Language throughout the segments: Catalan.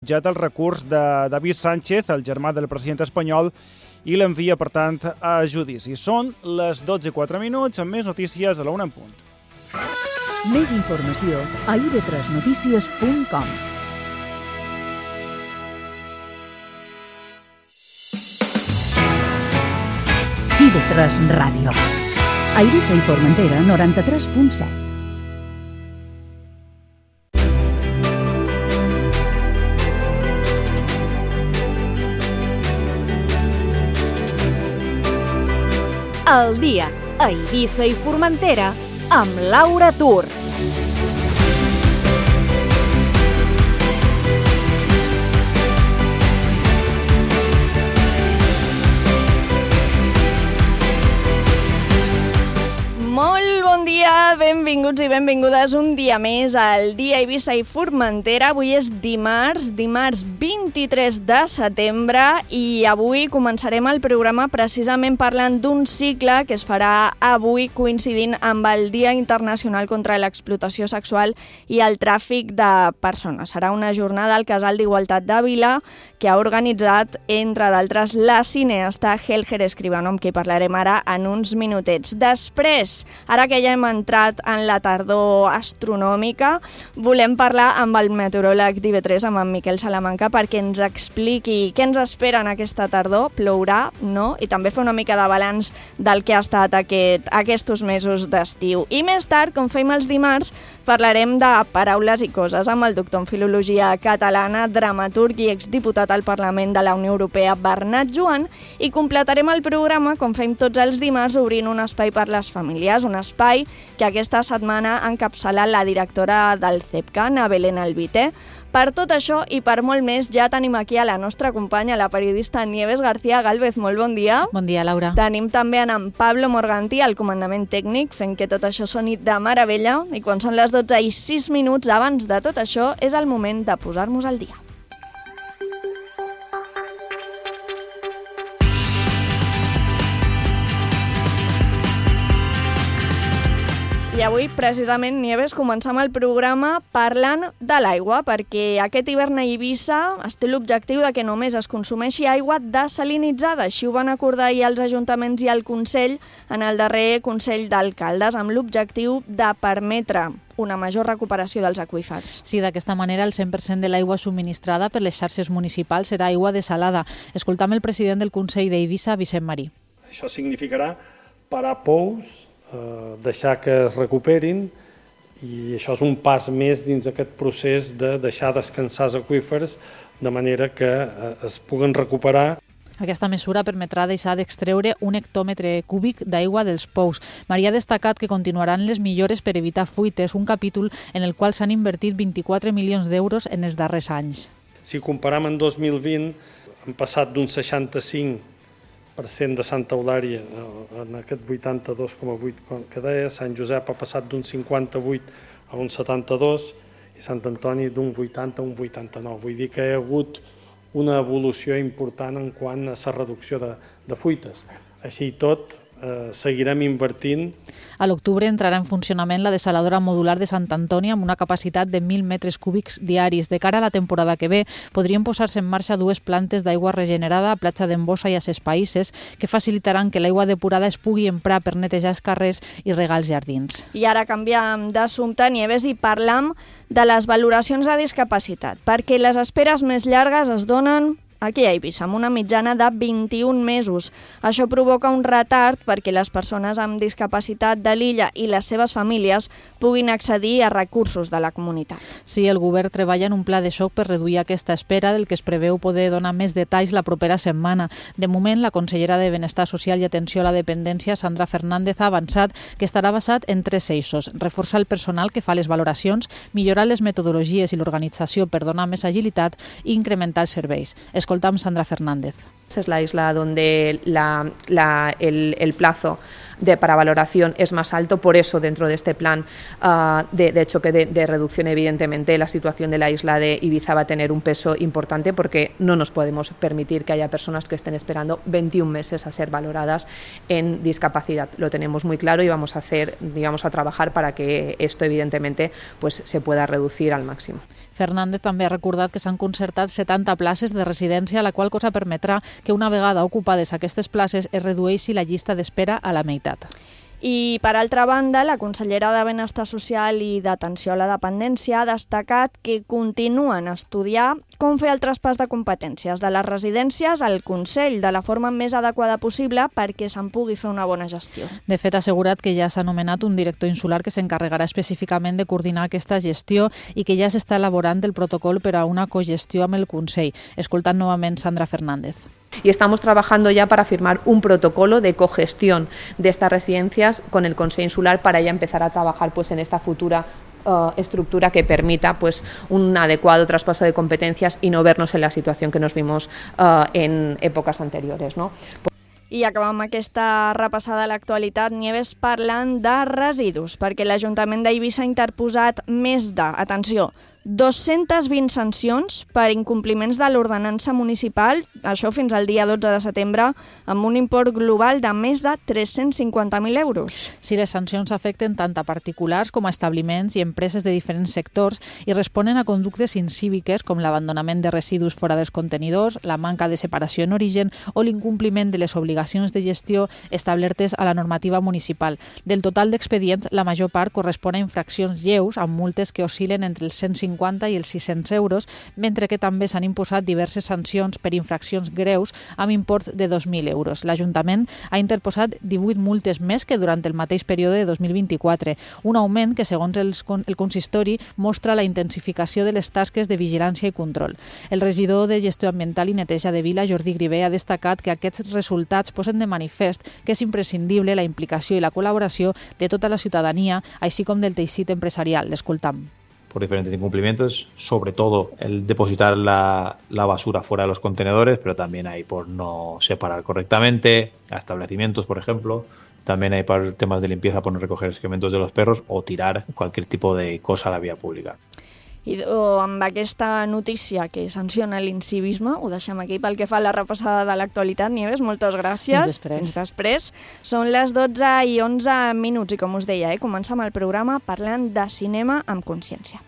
el recurs de David Sánchez, el germà del president espanyol, i l'envia, per tant, a judici. Són les 12:04, amb més notícies a la 1 en punt. Més informació a ib3notícies.com. IB3 Ràdio. A Eivissa i Formentera, 93.7. El dia a Eivissa i Formentera amb Laura Tur. Molt bon dia, benvinguts i benvingudes un dia més al Dia Eivissa i Formentera. Avui és dimarts 23 de setembre i avui començarem el programa precisament parlant d'un cicle que es farà avui coincidint amb el Dia Internacional contra l'explotació sexual i el tràfic de persones. Serà una jornada al Casal d'Igualtat de Vila que ha organitzat, entre d'altres, la cineasta Helger Escribano, amb qui parlarem ara en uns minutets. Després, ara que ja hem entrat en la tardor astronòmica, volem parlar amb el meteoròleg d'IB3, amb en Miquel Salamanca, perquè ens expliqui què ens espera en aquesta tardor, plourà, no? I també fer una mica de balanç del que ha estat aquests mesos d'estiu. I més tard, com fem els dimarts, parlarem de paraules i coses amb el doctor en Filologia Catalana, dramaturg i exdiputat al Parlament de la Unió Europea, Bernat Joan, i completarem el programa, com fem tots els dimarts, obrint un espai per les famílies, un espai que aquesta setmana ha encapçalat la directora del CEPCA, Belén Albité. Per tot això i per molt més, ja tenim aquí a la nostra companya, la periodista Nieves García Gálvez. Molt bon dia. Bon dia, Laura. Tenim també en Pablo Morganti, al comandament tècnic, fent que tot això soni de meravella. I quan són les 12:06, abans de tot això, és el moment de posar-nos al dia. I avui, precisament, Nieves, començam el programa parlant de l'aigua, perquè aquest hivern a Eivissa es té l'objectiu de que només es consumeixi aigua desalinitzada. Així ho van acordar ahir els ajuntaments i el Consell en el darrer Consell d'Alcaldes, amb l'objectiu de permetre una major recuperació dels aqüífers. Sí, d'aquesta manera el 100% de l'aigua subministrada per les xarxes municipals serà aigua desalada. Escoltam el president del Consell d'Eivissa, Vicent Marí. Això significarà parar pous, deixar que es recuperin, i això és un pas més dins aquest procés de deixar descansar els aqüífers de manera que es puguen recuperar. Aquesta mesura permetrà deixar d'extreure 1 hectòmetre cúbic d'aigua dels pous. Maria ha destacat que continuaran les millores per evitar fuites, un capítol en el qual s'han invertit 24 milions d'euros en els darrers anys. Si comparam en 2020, hem passat d'un 65% de Santa Eulària en aquest 82,8 que deia, Sant Josep ha passat d'un 58 a un 72 i Sant Antoni d'un 80 a un 89. Vull dir que hi ha hagut una evolució important en quant a la reducció de fuites. Així i tot, seguirem invertint. A l'octubre entrarà en funcionament la desaladora modular de Sant Antoni amb una capacitat de 1.000 metres cúbics diaris. De cara a la temporada que ve, podrien posar-se en marxa 2 plantes d'aigua regenerada a Platja d'Embossa i a Ses Païsses que facilitaran que l'aigua depurada es pugui emprar per netejar els carrers i regar els jardins. I ara canviem d'assumpte, Nieves, i parlam de les valoracions de discapacitat, perquè les esperes més llargues es donen aquí a Eivissa, amb una mitjana de 21 mesos. Això provoca un retard perquè les persones amb discapacitat de l'illa i les seves famílies puguin accedir a recursos de la comunitat. Sí, el govern treballa en un pla de xoc per reduir aquesta espera, del que es preveu poder donar més detalls la propera setmana. De moment, la consellera de Benestar Social i Atenció a la Dependència, Sandra Fernández, ha avançat que estarà basat en 3 eixos: reforçar el personal que fa les valoracions, millorar les metodologies i l'organització per donar més agilitat i incrementar els serveis. Escoltamos Sandra Fernández. Es la isla donde el plazo para valoración es más alto, por eso dentro de este plan de choque de reducción, evidentemente la situación de la isla de Ibiza va a tener un peso importante, porque no nos podemos permitir que haya personas que estén esperando 21 meses a ser valoradas en discapacidad. Lo tenemos muy claro y vamos a trabajar para que esto evidentemente pues se pueda reducir al máximo. Fernández també ha recordat que s'han concertat 70 places de residència, la qual cosa permetrà que una vegada ocupades aquestes places es redueixi la llista d'espera a la meitat. I, per altra banda, la consellera de Benestar Social i d'Atenció a la Dependència ha destacat que continuen a estudiar com fer el traspàs de competències de les residències al Consell de la forma més adequada possible perquè se'n pugui fer una bona gestió. De fet, ha assegurat que ja s'ha nomenat un director insular que s'encarregarà específicament de coordinar aquesta gestió i que ja s'està elaborant el protocol per a una cogestió amb el Consell. Escoltant novament Sandra Fernández. Y estamos trabajando ya para firmar un protocolo de cogestión de estas residencias con el Consejo Insular para ya empezar a trabajar pues, en esta futura estructura que permita pues, un adecuado traspaso de competencias y no vernos en la situación que nos vimos en épocas anteriores, ¿no? I acabam aquesta repassada a l'actualitat, Nieves, parlant de residus, perquè l'Ajuntament d'Eivissa ha interposat més de, atenció, 220 sancions per incompliments de l'ordenança municipal, això fins al dia 12 de setembre, amb un import global de més de 350.000 euros. Sí, les sancions afecten tant a particulars com a establiments i empreses de diferents sectors i responen a conductes incíviques com l'abandonament de residus fora dels contenidors, la manca de separació en origen o l'incompliment de les obligacions de gestió establertes a la normativa municipal. Del total d'expedients, la major part correspon a infraccions lleus amb multes que oscil·len entre els 150 i els 600 euros, mentre que també s'han imposat diverses sancions per infraccions greus amb imports de 2.000 euros. L'Ajuntament ha interposat 18 multes més que durant el mateix període de 2024, un augment que, segons el consistori, mostra la intensificació de les tasques de vigilància i control. El regidor de Gestió Ambiental i Neteja de Vila, Jordi Grivé, ha destacat que aquests resultats posen de manifest que és imprescindible la implicació i la col·laboració de tota la ciutadania, així com del teixit empresarial. L'escoltam. Por diferentes incumplimientos, sobre todo el depositar la basura fuera de los contenedores, pero también hay por no separar correctamente, a establecimientos, por ejemplo. También hay para temas de limpieza por no recoger excrementos de los perros o tirar cualquier tipo de cosa a la vía pública. I amb aquesta notícia que sanciona l'incivisme, ho deixem aquí pel que fa a la repassada de l'actualitat. Nieves, moltes gràcies. Fins després. Són les 12:11 i com us deia, comencem el programa parlant de cinema amb consciència.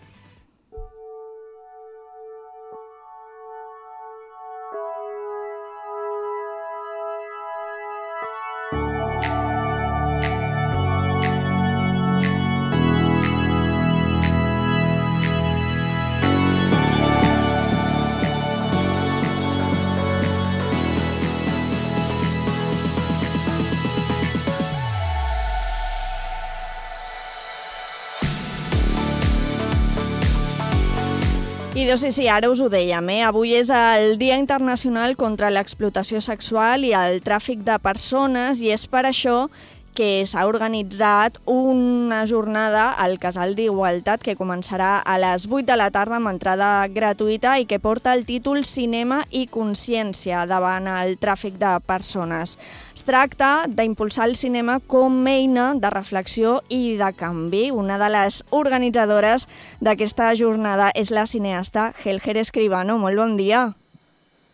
I doncs sí, ara us ho dèiem, avui és el Dia Internacional contra l'Explotació Sexual i el Tràfic de Persones i és per això que s'ha organitzat una jornada al Casal d'Igualtat que començarà a les 8 de la tarda amb entrada gratuïta i que porta el títol Cinema i Consciència davant el tràfic de persones. Es tracta d'impulsar el cinema com a eina de reflexió i de canvi. Una de les organitzadores d'aquesta jornada és la cineasta Helger Escribano. Molt bon dia.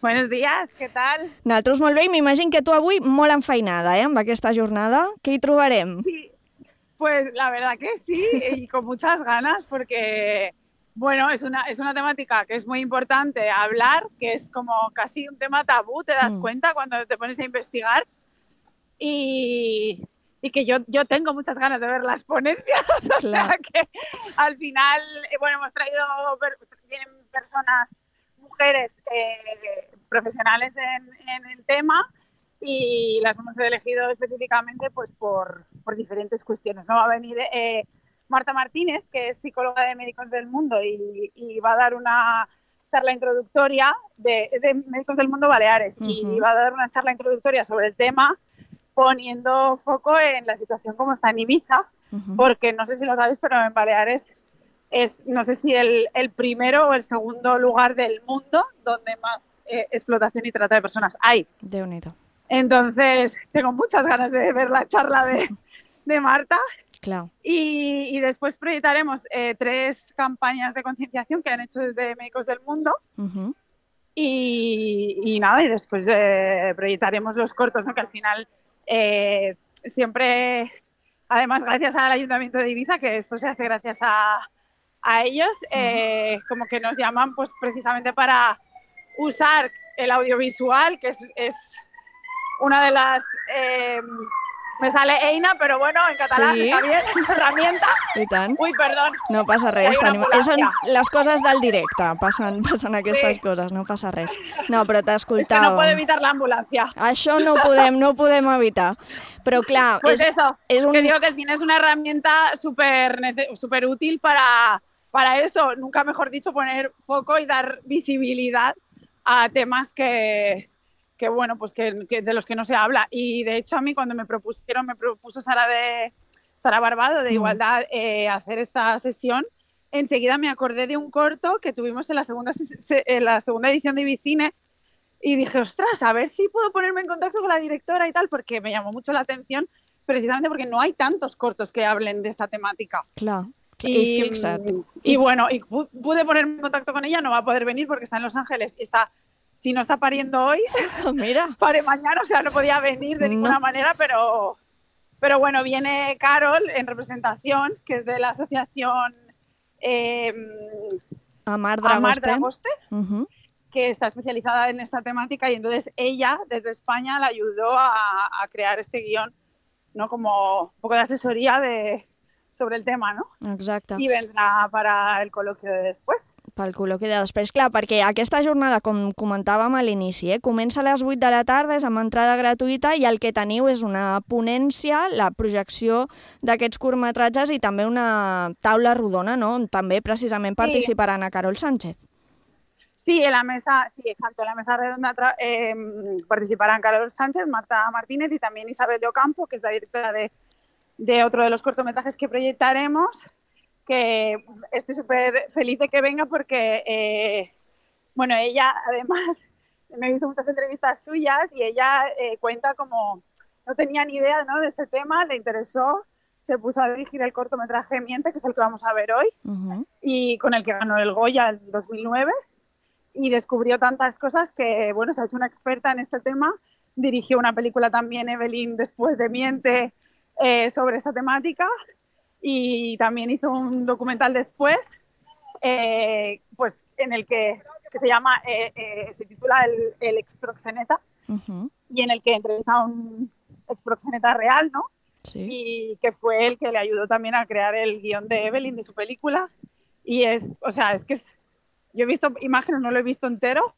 Buenos días, ¿qué tal? Nosaltres molt bé i m'imagino que tu avui molt enfeinada, amb aquesta jornada. Què hi trobarem? Sí, pues la verdad que sí, y con muchas ganas porque, bueno, es una temática que es muy importante hablar, que es como casi un tema tabú, te das cuenta cuando te pones a investigar y que yo tengo muchas ganas de ver las ponencias, o sea que al final, bueno, hemos traído, vienen personas, mujeres profesionales en el tema y las hemos elegido específicamente pues por diferentes cuestiones. ¿No? Va a venir Marta Martínez, que es psicóloga de Médicos del Mundo y va a dar una charla introductoria, es de Médicos del Mundo Baleares, y va a dar una charla introductoria sobre el tema poniendo foco en la situación como está en Ibiza, porque no sé si lo sabéis, pero en Baleares es, no sé si el primero o el segundo lugar del mundo donde más explotación y trata de personas hay. Déu-n'hi-do. Entonces, tengo muchas ganas de ver la charla de Marta. Claro. Y después proyectaremos 3 campañas de concienciación que han hecho desde Médicos del Mundo. Y nada, y después proyectaremos los cortos, ¿no? Que al final siempre, además gracias al Ayuntamiento de Ibiza, que esto se hace gracias a a ellos, como que nos llaman pues precisamente para usar el audiovisual, que es una de las... me sale eina, però bueno, en català està bien, herramienta. I tant. Ui, perdó. No passa res. Són les coses del directe, passen aquestes coses, no passa res. No, però t'escoltàvem. És que no puedo evitar la ambulancia. Això no podem evitar. Però clar... Pues que digo que el cine es una herramienta súper útil para eso, nunca mejor dicho, poner foco y dar visibilidad a temas que bueno, pues que de los que no se habla. Y de hecho a mí cuando me propuso Sara Barbado de Igualdad hacer esta sesión, enseguida me acordé de un corto que tuvimos en la segunda edición de Ibicine y dije, ostras, a ver si puedo ponerme en contacto con la directora y tal, porque me llamó mucho la atención, precisamente porque no hay tantos cortos que hablen de esta temática. Claro. Y bueno, y pude ponerme en contacto con ella, no va a poder venir porque está en Los Ángeles y si no está pariendo hoy, mira, pare mañana, o sea, no podía venir de ninguna manera, pero bueno, viene Carol en representación, que es de la asociación Amar Dragoste, que está especializada en esta temática, y entonces ella, desde España, la ayudó a crear este guión, ¿no? Como un poco de asesoría sobre el tema, ¿no? Exacte. I vendrà para el col·loquio de després. Pel col·loqui de després, clar, perquè aquesta jornada, com comentàvem a l'inici, comença a les 8 de la tarda, és amb entrada gratuïta, i el que teniu és una ponència, la projecció d'aquests curtmetratges i també una taula rodona, no?, on també precisament participarà Ana Carol Sánchez. Sí, en la mesa, exacto, en la mesa redonda participarán Carol Sánchez, Marta Martínez y también Isabel de Ocampo, que es la directora de otro de los cortometrajes que proyectaremos, que estoy súper feliz de que venga porque, bueno, ella además me hizo muchas entrevistas suyas y ella cuenta como no tenía ni idea, ¿no?, de este tema, le interesó, se puso a dirigir el cortometraje Miente, que es el que vamos a ver hoy, y con el que ganó el Goya en 2009, y descubrió tantas cosas que, bueno, se ha hecho una experta en este tema, dirigió una película también, Evelyn, después de Miente, sobre esta temática, y también hizo un documental después, pues en el que se llama, se titula El exproxeneta, y en el que entrevista a un exproxeneta real, ¿no? Sí. Y que fue el que le ayudó también a crear el guión de Evelyn, de su película, y yo he visto imágenes, no lo he visto entero,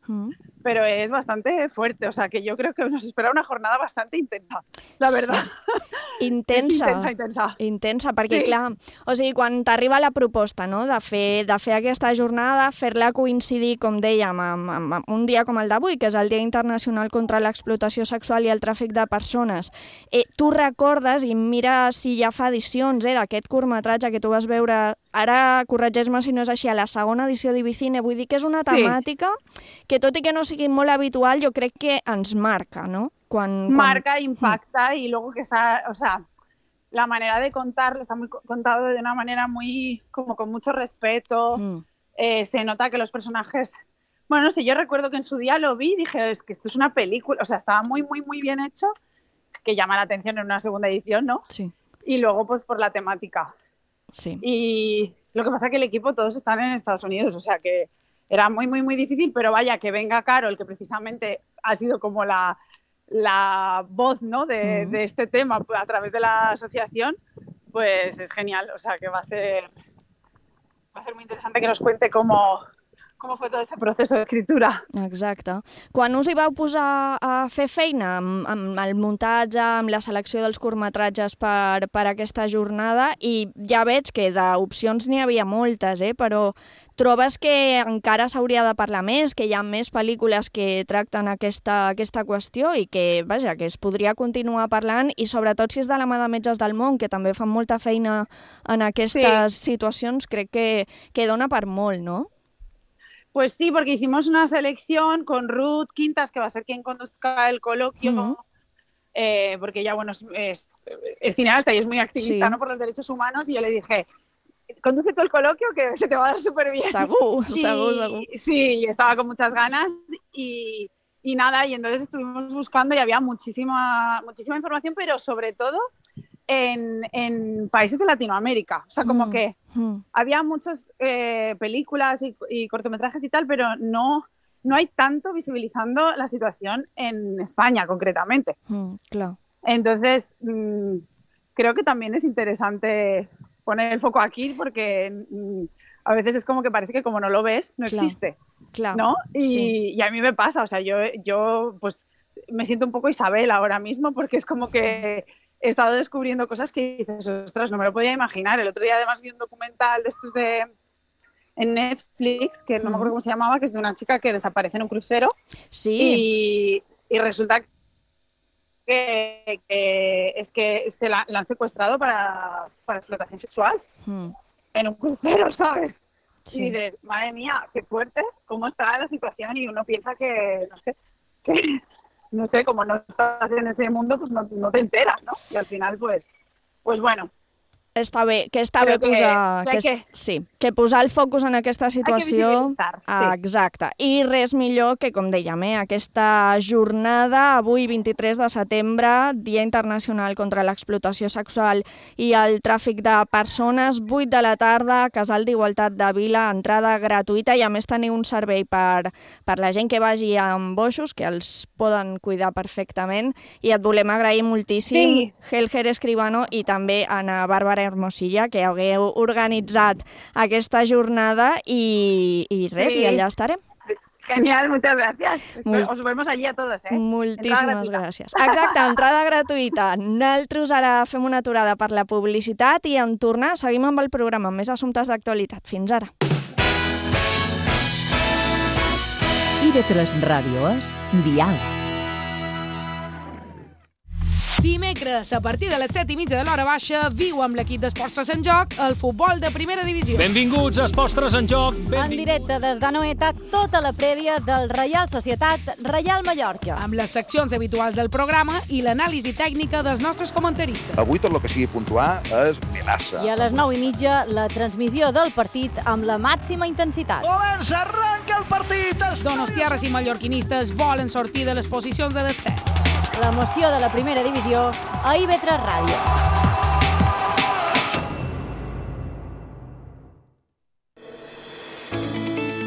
pero es bastante fuerte, o sea que yo creo que nos espera una jornada bastante intensa, la verdad. Intensa, perquè clar, o sigui, quan t'arriba la proposta, no?, de fer aquesta jornada, fer-la coincidir, com dèiem, amb un dia com el d'avui, que és el Dia Internacional contra l'Explotació Sexual i el Tràfic de Persones, tu recordes, i mira si ja fa edicions d'aquest curtmetratge que tu vas veure, ara corregeix-me si no és així, a la segona edició d'Ibicine, vull dir que és una temàtica que, tot i que no sigui molt habitual, jo crec que ens marca, ¿no? Marca, impacta, y luego que está, o sea, la manera de contarlo está muy contado de una manera muy, como con mucho respeto, se nota que los personajes, bueno, no sé, yo recuerdo que en su día lo vi y dije, es que esto es una película, o sea, estaba muy, muy, muy bien hecho, que llama la atención en una segunda edición, ¿no? Sí. Y luego, pues, por la temática. Sí. Y lo que pasa es que el equipo todos están en Estados Unidos, o sea que era muy, muy, muy difícil, pero vaya, que venga Carol, que precisamente ha sido como la voz, ¿no?, de este tema a través de la asociación, pues es genial, o sea que va a ser muy interesante que nos cuente cómo fue todo este proceso d'escriptura. Exacte. Quan us hi vau posar a fer feina amb el muntatge, amb la selecció dels curtmetratges per aquesta jornada, i ja veig que d'opcions n'hi havia moltes, però trobes que encara s'hauria de parlar més, que hi ha més pel·lícules que tracten aquesta qüestió i que, vaja, que es podria continuar parlant, i sobretot si és de la mà de Metges del Món, que també fan molta feina en aquestes situacions, crec que dona per molt, no? Pues sí, porque hicimos una selección con Ruth Quintas, que va a ser quien conduzca el coloquio, porque ella, bueno, es cineasta y es muy activista, ¿no?, por los derechos humanos, y yo le dije, conduce todo el coloquio que se te va a dar súper bien. Segur. Sí, estaba con muchas ganas y nada, y entonces estuvimos buscando y había muchísima información, pero sobre todo en países de Latinoamérica. O sea, como que había muchas películas y cortometrajes y tal, pero no hay tanto visibilizando la situación en España, concretamente. Claro. Entonces, creo que también es interesante poner el foco aquí, porque a veces es como que parece que como no lo ves, no existe, ¿no? Y a mí me pasa, o sea, yo pues me siento un poco Isabel ahora mismo, porque es como que he estado descubriendo cosas que dices, ostras, no me lo podía imaginar. El otro día además vi un documental de estos en Netflix, que no me acuerdo cómo se llamaba, que es de una chica que desaparece en un crucero. Sí. Y resulta que es que se la han secuestrado para explotación sexual en un crucero, ¿sabes? Sí. Y dices, madre mía, qué fuerte, cómo está la situación, y uno piensa que, no sé, como no estás en ese mundo, pues no te enteras, ¿no? Y al final, pues bueno. Està bé posar el focus en aquesta situació. Exacte. I res millor que, com dèiem, aquesta jornada, avui 23 de setembre, Dia Internacional contra l'Explotació Sexual i el Tràfic de Persones, 8 de la tarda, Casal d'Igualtat de Vila, entrada gratuïta, i a més teniu un servei per la gent que vagi amb boixos, que els poden cuidar perfectament, i et volem agrair moltíssim, Helger Escribano, i també a Bàrbara Hermosilla, que hagueu organitzat aquesta jornada, i res, i allà estarem. Genial, muchas gracias. Os vemos allí a todos, Moltíssimes gràcies. Exacte, entrada gratuïta. Nosaltres ara fem una aturada per la publicitat i en tornar seguim amb el programa amb més assumptes d'actualitat. Fins ara. IB3 Ràdio és Diàleg. Dimecres, a partir de les 7:30 de l'hora baixa, viu amb l'equip d'Esports en Joc el futbol de primera divisió. Benvinguts a Esports en Joc. En directe des d'Anoeta, tota la prèvia del Reial Societat Reial Mallorca. Amb les seccions habituals del programa i l'anàlisi tècnica dels nostres comentaristes. Avui tot el que sigui puntuar és Melassa. I a les 9:30, la transmissió del partit amb la màxima intensitat. Comença, arranca el partit! Donostiarres i mallorquinistes volen sortir de les posicions de descens. L'emoció de la primera divisió a IB3 Ràdio.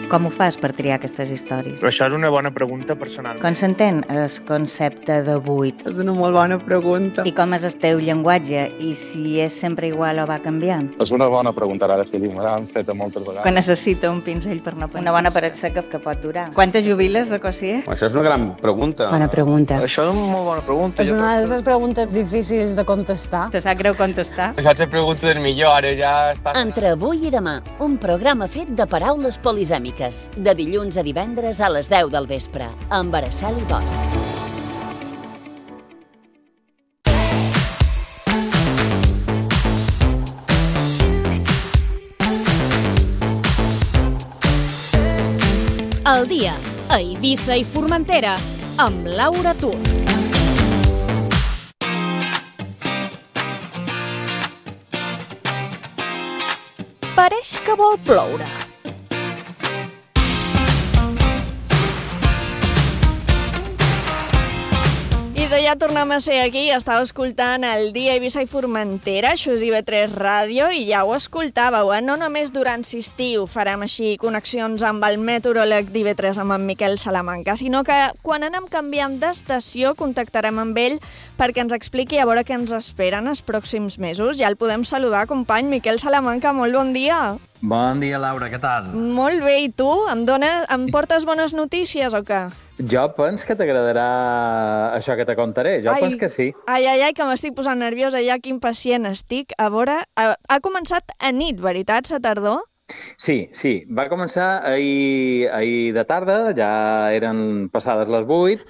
Com ho fas per triar aquestes històries? Això és una bona pregunta personal. Com s'entén el concepte de buit? És una molt bona pregunta. I com és el teu llenguatge? I si és sempre igual o va canviant? És una bona pregunta, ara, Fili. Me l'han fet moltes vegades. Quan necessita un pinzell per no pensar. Una bona paret seca que pot durar. Quantes jubiles de Cossier? Això és una gran pregunta. Bona pregunta. Això és una molt bona pregunta. És una de les preguntes difícils de contestar. Te sap greu contestar? Això és la pregunta del millor, ara ja està... Entre avui i demà, un programa fet de paraules polisèmiques. De dilluns a divendres a les 10 del vespre, amb Araceli Bosch. El dia a Eivissa i Formentera, amb Laura Tur. Pareix que vol ploure. Ja tornem a ser aquí, estàu escoltant el Dia a Eivissa i Formentera, això és IB3 Ràdio, i ja ho escoltàveu, no només durant l'estiu farem així connexions amb el meteoròleg d'IB3, amb en Miquel Salamanca, sinó que quan anem canviant d'estació contactarem amb ell perquè ens expliqui a veure què ens esperen els pròxims mesos. Ja el podem saludar, company Miquel Salamanca, molt bon dia. Bon dia, Laura, què tal? Molt bé, i tu? Em portes bones notícies o què? Jo penso que t'agradarà això que te contaré, penso que sí. Ai, que m'estic posant nerviosa, ja que impacient estic. A veure, ha començat a nit, veritat, la tardor? Sí, va començar ahir de tarda, ja eren passades les 8,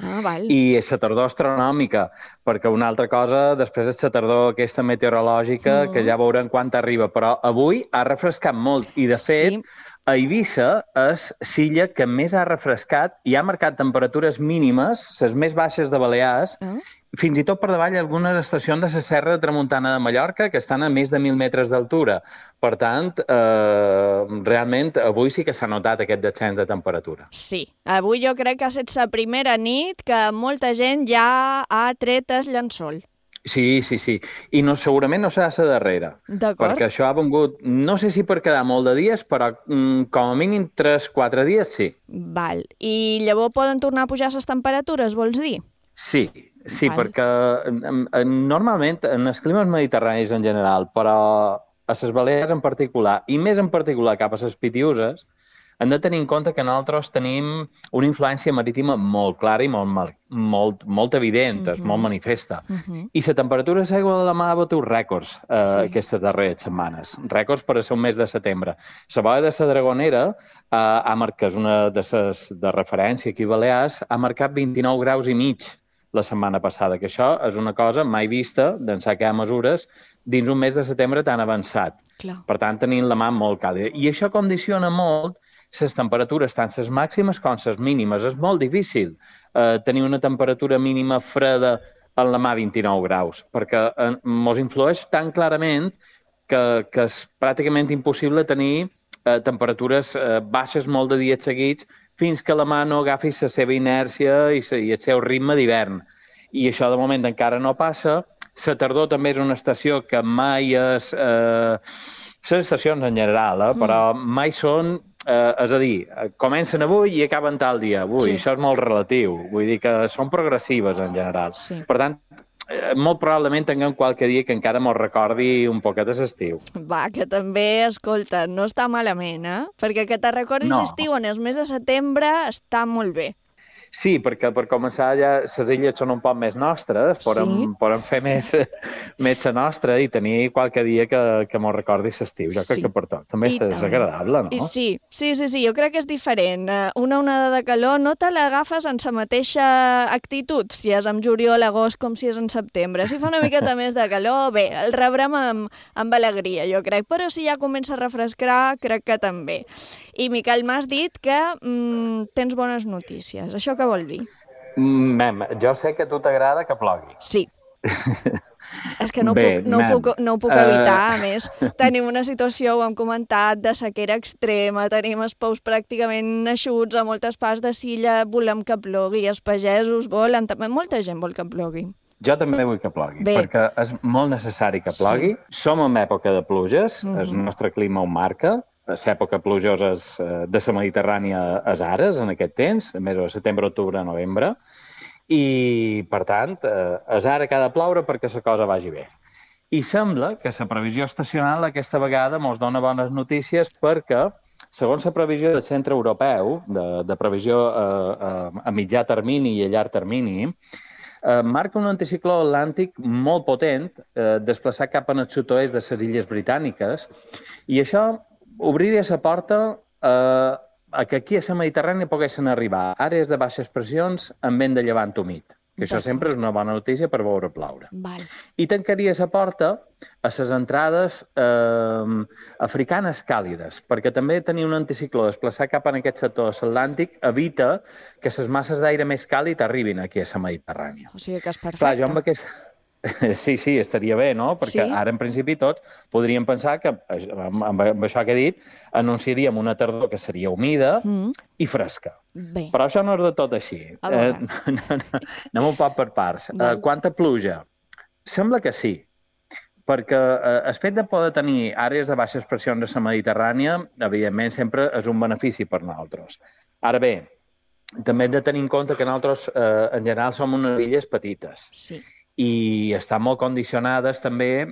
i la tardor astronòmica, perquè una altra cosa, després és la tardor aquesta meteorològica, que ja veurem quan arriba, però avui ha refrescat molt, i de fet, a Eivissa és l'illa que més ha refrescat i ha marcat temperatures mínimes, les més baixes de Balears, fins i tot per davall algunes estacions de la Serra de Tramuntana de Mallorca que estan a més de 1.000 metres d'altura. Per tant, realment, avui sí que s'ha notat aquest descens de temperatura. Sí, avui jo crec que ha estat la primera nit que molta gent ja ha tret el llençol. Sí. I segurament no serà la darrera. D'acord. Perquè això ha vingut, no sé si per quedar molt de dies, però com a mínim 3-4 dies sí. Val. I llavors poden tornar a pujar les temperatures, vols dir? Sí, perquè normalment en els climes mediterranis en general, però a les Balears en particular, i més en particular cap a les Pitiüses, hem de tenir en compte que nosaltres tenim una influència marítima molt clara i molt evident, molt manifesta. I la temperatura de l'aigua de la mar ha batut rècords aquestes darreres setmanes. Rècords per a ser un mes de setembre. La boia de la Dragonera, que és una de les de referència aquí a Balears, ha marcat 29 graus i mig la setmana passada, que això és una cosa mai vista d'ençà que hi ha mesures dins un mes de setembre tan avançat. Per tant, tenim la mà molt càlida. I això condiciona molt les temperatures, tant les màximes com les mínimes. És molt difícil tenir una temperatura mínima freda en la mà 29 graus, perquè ens influeix tan clarament que és pràcticament impossible tenir temperatures baixes molt de dies seguits fins que la mà no agafi la seva inèrcia i el seu ritme d'hivern. I això de moment encara no passa. La tardor també és una estació que mai és... Les estacions en general, però mai són... És a dir, comencen avui i acaben tal dia. Això és molt relatiu. Vull dir que són progressives en general. Per tant, molt probablement tinguem qualque dia que encara mos recordi un poquet de l'estiu. Va, que també, escolta, no està malament, Perquè que te recordis l'estiu en el mes de setembre està molt bé. Sí, perquè per començar ja les illes són un poc més nostres, podem fer més la nostra i tenir qualque dia que mos recordi l'estiu. Jo crec que per tot. També és agradable, no? Sí, jo crec que és diferent. Una onada de calor no te l'agafes en la mateixa actitud, si és en juliol, agost, com si és en setembre. Si fa una miqueta més de calor, bé, el rebrem amb alegria, jo crec. Però si ja comença a refrescar, crec que també. I, Miquel, m'has dit que tens bones notícies. Això què vol dir? Jo sé que a tu t'agrada que plogui. Sí. És que no ho puc evitar. A més, tenim una situació, ho hem comentat, de sequera extrema, tenim els pous pràcticament eixuts a moltes parts de Silla, volem que plogui, els pagesos volen, també molta gent vol que plogui. Jo també vull que plogui, perquè és molt necessari que plogui. Som en època de pluges, el nostre clima ho marca. L'època plujosa de la Mediterrània és ara, en aquest temps, a més de setembre, octubre, novembre, i, per tant, és ara que ha de ploure perquè la cosa vagi bé. I sembla que la previsió estacional aquesta vegada ens dona bones notícies perquè, segons la previsió del Centre Europeu, de previsió a mitjà termini i a llarg termini, marca un anticicló atlàntic molt potent, desplaçat cap en el sud-oest de les Illes Britàniques, i això obriria la porta a que aquí a la Mediterrània poguessin arribar àrees de baixes pressions amb vent de llevant humit, que això sempre és una bona notícia per veure ploure. I tancaria la porta a les entrades africanes càlides, perquè també tenir un anticicló desplaçat cap en aquest sector atlàntic evita que les masses d'aire més càlid arribin aquí a la Mediterrània. O sigui que és perfecte. Clar, jo amb aquest... Sí, estaria bé, no? Perquè ara, en principi, tots podríem pensar que, amb això que he dit, anunciaríem una tardor que seria humida i fresca. Però això no és de tot així. Anem un poc per parts. Quanta pluja? Sembla que sí, perquè el fet de poder tenir àrees de baixes pressions a la Mediterrània, evidentment, sempre és un benefici per nosaltres. Ara bé, també hem de tenir en compte que nosaltres, en general, som unes illes petites. Sí. I estan molt condicionades també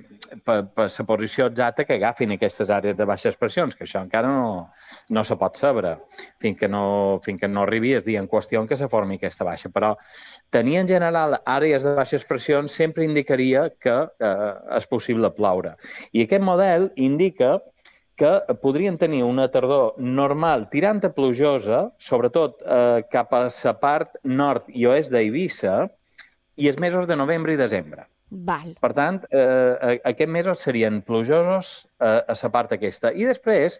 per la posició exacta que agafin aquestes àrees de baixes pressions, que això encara no se pot saber fins que no arribi el dia en qüestió en què se formi aquesta baixa. Però tenir en general àrees de baixes pressions sempre indicaria que és possible ploure. I aquest model indica que podrien tenir una tardor normal tirant a plujosa, sobretot cap a la part nord i oest d'Eivissa, i els mesos de novembre i desembre. Per tant, aquests mesos serien plujosos a la part aquesta. I després,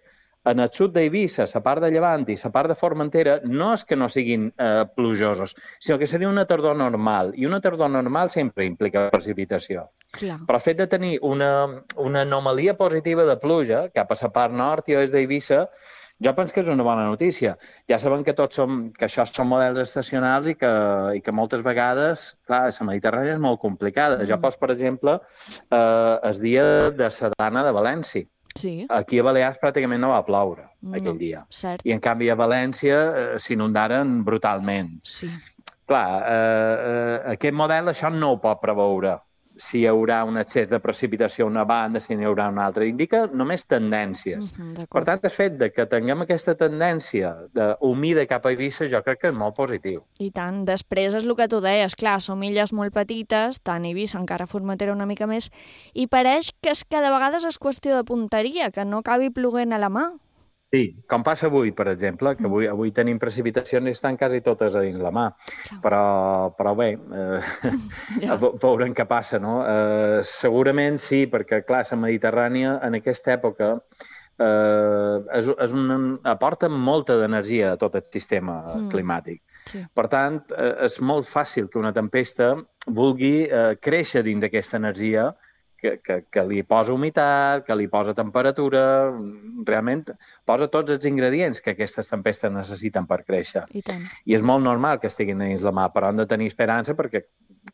en el sud d'Eivissa, la part de Llevant i la part de Formentera, no és que no siguin plujosos, sinó que seria una tardor normal. I una tardor normal sempre implica precipitació. Però el fet de tenir una anomalia positiva de pluja cap a la part nord i oest d'Eivissa Jo penso que és una bona notícia. Ja sabem que que això són models estacionals i que moltes vegades, clar, la Mediterrània és molt complicada. Jo poso, per exemple, el dia de Sardana de València. Sí. Aquí a Balears pràcticament no va ploure aquell dia. Cert. I en canvi a València s'inundaren brutalment. Sí. Clar, aquest model això no ho pot preveure. Si hi haurà un excés de precipitació a una banda, si n'hi haurà una altra. Indica només tendències. Per tant, el fet que tinguem aquesta tendència humida cap a Eivissa jo crec que és molt positiu. I tant. Després és el que tu deies. Clar, som illes molt petites, tant Eivissa, encara Formentera una mica més, i pareix que de vegades és qüestió de punteria, que no acabi ploguent a la mà. Sí, com passa avui, per exemple, que avui tenim precipitacions i estan quasi totes a dins la mà. Però bé, veurem què passa, no? Segurament sí, perquè, clar, la Mediterrània en aquesta època aporta molta d'energia a tot el sistema climàtic. Per tant, és molt fàcil que una tempesta vulgui créixer dins d'aquesta energia que li posa humitat, que li posa temperatura, realment posa tots els ingredients que aquestes tempestes necessiten per créixer. I és molt normal que estiguin dins la mà, però hem de tenir esperança perquè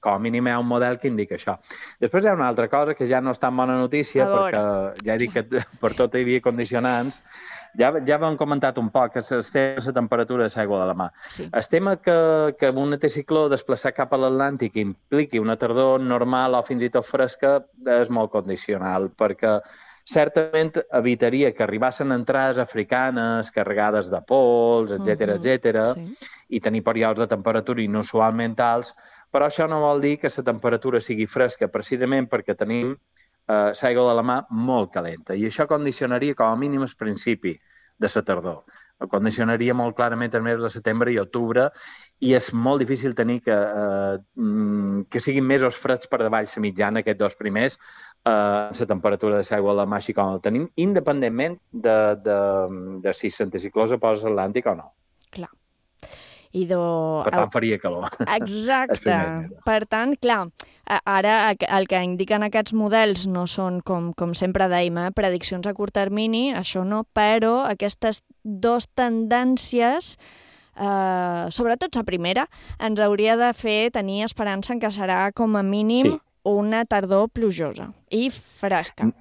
com a mínim hi ha un model que indica això. Després hi ha una altra cosa que ja no és tan bona notícia, perquè ja he dit que per tot hi havia condicionants. Ja vam comentat un poc que el tema de la temperatura de l'aigua de la mà. El tema que un anticicló desplaçat cap a l'Atlàntic impliqui una tardor normal o fins i tot fresca és molt condicional, perquè certament evitaria que arribassin entrades africanes carregades de pols, etc., i tenir períodes de temperatura inusualment alts, però això no vol dir que la temperatura sigui fresca, precisament perquè tenim l'aigua de la mà molt calenta, i això condicionaria com a mínim el principi de la tardor. Condicionaria molt clarament els mesos de setembre i octubre, i és molt difícil tenir que siguin mesos freds per davall la mitjana, aquests dos primers, la temperatura de l'aigua de la mà així com el tenim, independentment de si l'anticicló se posa a l'Atlàntic o no. Clar. Per tant, faria calor. Exacte. Per tant, clar, ara el que indiquen aquests models no són, com sempre dèiem, prediccions a curt termini, això no, però aquestes dues tendències, sobretot la primera, ens hauria de fer tenir esperança en que serà com a mínim una tardor plujosa i fresca.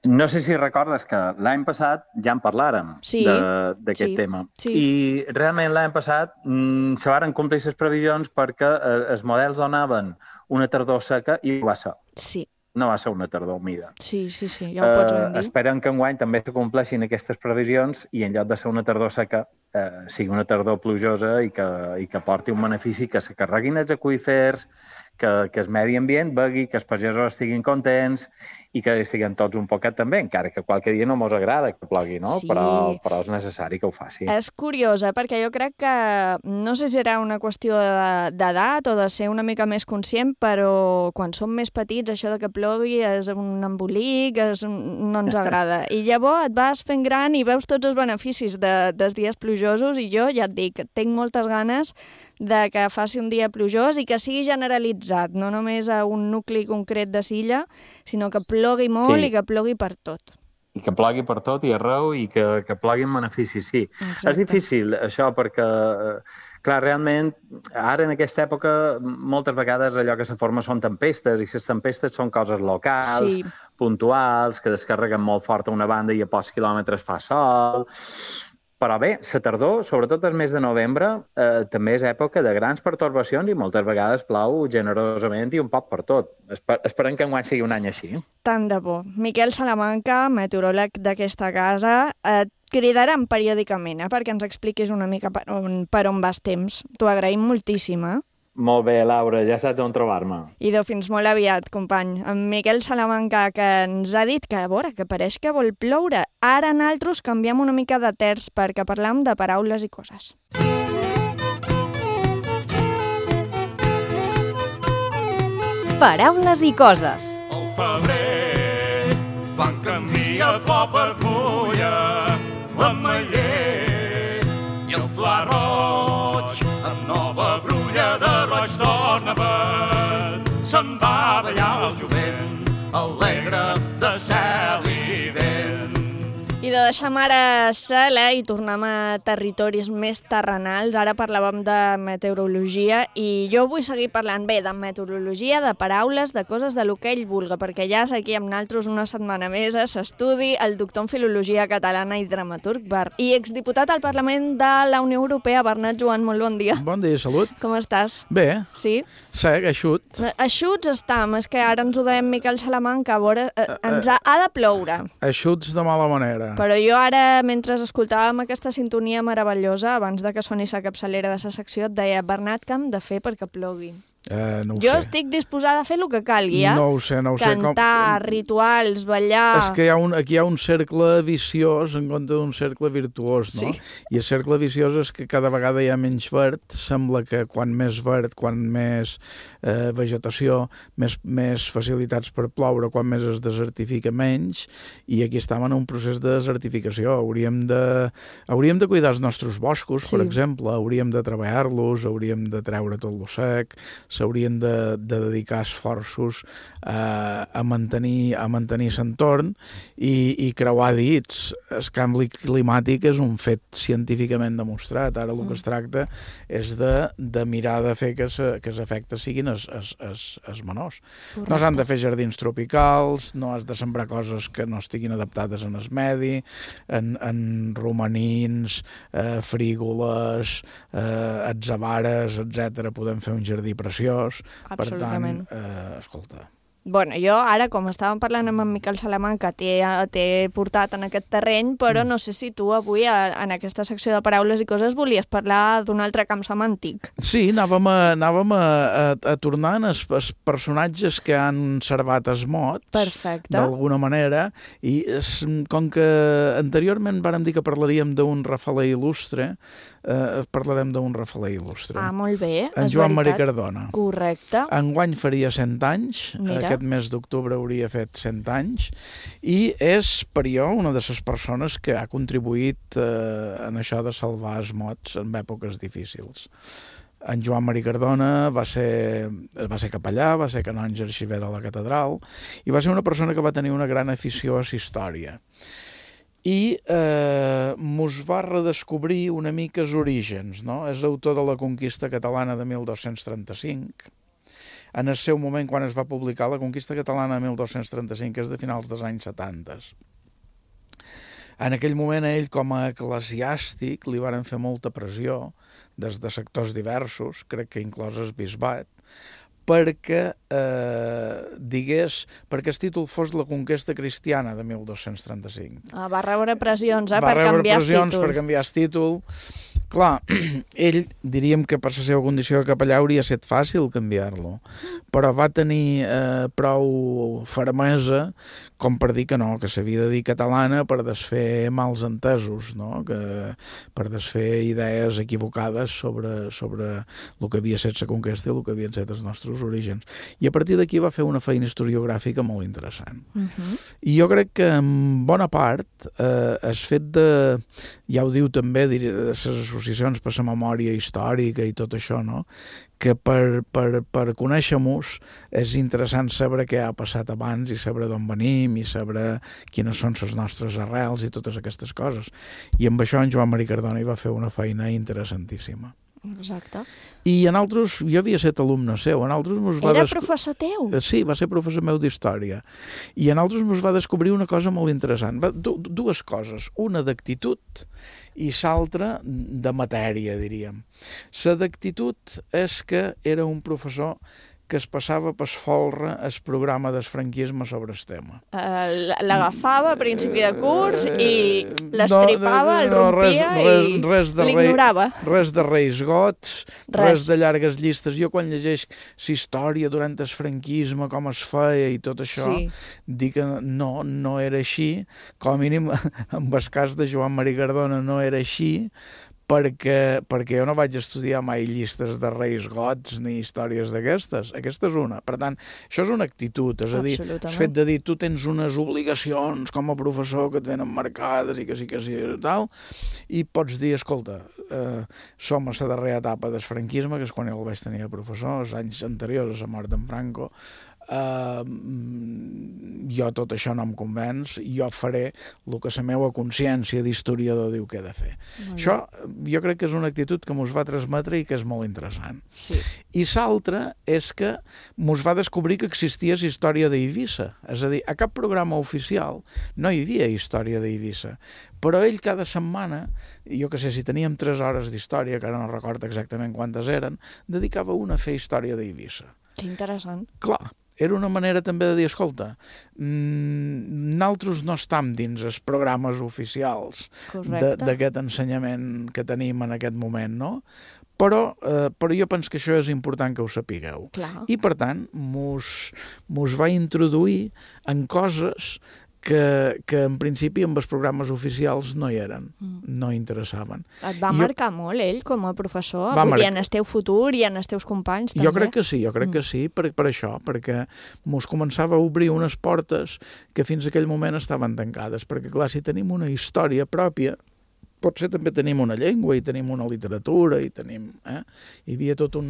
No sé si recordes que l'any passat ja en parlàrem d'aquest tema. I realment l'any passat se varen complir les previsions perquè els models donaven una tardor seca i ho va ser. Sí. No va ser una tardor humida. Sí, ja ho pots ben dir. Esperem que enguany també se compleixin aquestes previsions i en lloc de ser una tardor seca sigui una tardor plujosa i que porti un benefici, que se carreguin els aqüífers, que el medi ambient begui, que els pagesos estiguin contents i que estiguin tots un poquet també, encara que qualque dia no mos agrada que plogui, no? Sí. Però és necessari que ho faci. És curiosa, perquè jo crec que, no sé si serà una qüestió d'edat o de ser una mica més conscient, però quan som més petits això de que plogui és un embolic, no ens agrada. I llavors et vas fent gran i veus tots els beneficis dels dies plujosos i jo ja et dic, tinc moltes ganes de que faci un dia plujós i que sigui generalitzat, no només a un nucli concret de Silla, sinó que plogui molt i que plogui per tot. I que plogui per tot i arreu i que plogui en benefici, sí. Exacte. És difícil, això, perquè, clar, realment, ara en aquesta època, moltes vegades allò que se forma són tempestes, i les tempestes són coses locals, puntuals, que descarreguen molt fort a una banda i a pocs quilòmetres fa sol. Però bé, la tardor, sobretot el mes de novembre, també és època de grans pertorbacions i moltes vegades plou generosament i un poc per tot. Esperem que enguany sigui un any així. Tant de bo. Miquel Salamanca, meteoròleg d'aquesta casa, et cridaran periòdicament perquè ens expliquis una mica per on vas temps. T'ho agraïm moltíssim, Molt bé, Laura, ja saps on trobar-me. Idò, fins molt aviat, company. En Miquel Salamanca, que ens ha dit que, a veure, que pareix que vol ploure. Ara nosaltres canviem una mica de terç perquè parlam de paraules i coses. Paraules i coses. Al febrer van canviar flor per fulla, l'ametller i el pla roig amb nova brulla de roig d'ornament. Se'n va ballar el jovent, alegre de cel i vent. I de deixem ara Sala i tornem a territoris més terrenals. Ara parlàvem de meteorologia i jo vull seguir parlant bé de meteorologia, de paraules, de coses de lo que ell vulga, perquè ja és aquí amb naltros una setmana més a s'estudi el doctor en Filologia Catalana i dramaturg i exdiputat al Parlament de la Unió Europea, Bernat Joan, molt bon dia. Bon dia, salut. Com estàs? Bé. Sí? Sec, eixut. Eixuts estam, és que ara ens ho deien Miquel Salamanca, a veure, ens ha de ploure. Eixuts de mala manera. Però jo ara, mentre escoltàvem aquesta sintonia meravellosa, abans de que soni sa capçalera de sa secció, et deia, Bernat, què hem de fer perquè plogui? No ho jo sé. estic disposada a fer el que calgui, No ho sé. Cantar, rituals, ballar... És que aquí hi ha un cercle viciós en compte d'un cercle virtuós, no? Sí. I el cercle viciós és que cada vegada hi ha menys verd. Sembla que quan més verd, quan més vegetació, més facilitats per ploure, quan més es desertifica menys, i aquí estem en un procés de desertificació. Hauríem de cuidar els nostres boscos, per exemple, hauríem de treballar-los, hauríem de treure tot lo sec, s'haurien de dedicar esforços a mantenir l'entorn i creuar dits. El canvi climàtic és un fet científicament demostrat. Ara el que es tracta és de mirar de fer que els efectes siguin els menors. No s'han de fer jardins tropicals, no has de sembrar coses que no estiguin adaptades en el medi, en romanins, frígoles, atzavares, etc. Podem fer un jardí preciós. Per tant, escolta... Bueno, jo ara, com estàvem parlant amb en Miquel Salamanca, t'he portat en aquest terreny, però no sé si tu avui, en aquesta secció de paraules i coses, volies parlar d'un altre camp semàntic. Sí, anàvem a tornar en els personatges que han servat es mots, d'alguna manera, i com que anteriorment vàrem dir que parlaríem d'un rafaler il·lustre, parlarem d'un rafaler il·lustre. Ah, molt bé, en Joan Maria Cardona. Correcte. Enguany faria 100 anys, aquest mes d'octubre hauria fet 100 anys, i és per jo una de les persones que ha contribuït en això de salvar els mots en èpoques difícils. En Joan Maria Cardona va ser capellà, va ser canonge arxiver de la catedral, i va ser una persona que va tenir una gran afició a la història. I mos va redescobrir una mica els orígens, no? És autor de la conquista catalana de 1235. En el seu moment, quan es va publicar la conquista catalana de 1235, és de finals dels anys 70. En aquell moment, ell, com a eclesiàstic, li varen fer molta pressió des de sectors diversos, crec que inclòs el bisbat, perquè el títol fos la conquesta cristiana de 1235. Va rebre pressions, per canviar el títol. Per canviar el títol. Clar, ell, diríem que per la seva condició de capellà hauria estat fàcil canviar-lo, però va tenir prou fermesa com per dir que no, que s'havia de dir catalana per desfer mals entesos, no? Per desfer idees equivocades sobre el que havia estat la conquesta i el que havien estat els nostres orígens. I a partir d'aquí va fer una feina historiogràfica molt interessant. I jo crec que en bona part el fet de, ja ho diu també, de les associacions per la memòria històrica i tot això, no? Que per conèixer-nos és interessant saber què ha passat abans i saber d'on venim i saber quines són les nostres arrels i totes aquestes coses. I amb això en Joan Maria Cardona hi va fer una feina interessantíssima. Exacte. I en altres, jo havia estat alumne seu, en altres Era professor teu? Sí, va ser professor meu d'història. I en altres ens va descobrir una cosa molt interessant, dues coses, una d'actitud i l'altra de matèria, diríem. La d'actitud és que era un professor que es passava per folre el programa del franquisme sobre el tema. L'agafava a principi de curs i l'estripava, el rompia i l'ignorava. Res de reis gots, res de llargues llistes. Jo quan llegeix la història durant el franquisme, com es feia i tot això, dic que no era així. Com a mínim, en el cas de Joan Maria Cardona no era així, perquè jo no vaig estudiar mai llistes de reis gots ni històries d'aquestes. Aquesta és una. Per tant, això és una actitud, és a dir, el fet de dir tu tens unes obligacions com a professor que et venen marcades i que sí i tal, i pots dir, escolta, som a la darrera etapa del franquisme, que és quan el vaig tenir de professor, els anys anteriors a la mort d'en Franco. Jo tot això no em convenç, jo faré el que la meva consciència d'historiador diu que he de fer. Això jo crec que és una actitud que mos va transmetre i que és molt interessant. I l'altra és que mos va descobrir que existia la història d'Eivissa. És a dir, a cap programa oficial no hi havia història d'Eivissa, però ell cada setmana, jo que sé, si teníem 3 hores d'història, que ara no recordo exactament quantes eren, dedicava una a fer història d'Eivissa. Que interessant. Clar, era una manera també de dir, escolta, nosaltres no estem dins els programes oficials d'aquest ensenyament que tenim en aquest moment, no? Però jo penso que això és important que ho sapigueu. I, per tant, mos va introduir en coses que en principi amb els programes oficials no hi eren, no interessaven. Et va marcar molt ell com a professor? I en el teu futur i en els teus companys també? Jo crec que sí, per això, perquè mos començava a obrir unes portes que fins aquell moment estaven tancades, perquè clar, si tenim una història pròpia, potser també tenim una llengua i tenim una literatura i tenim... Hi havia tot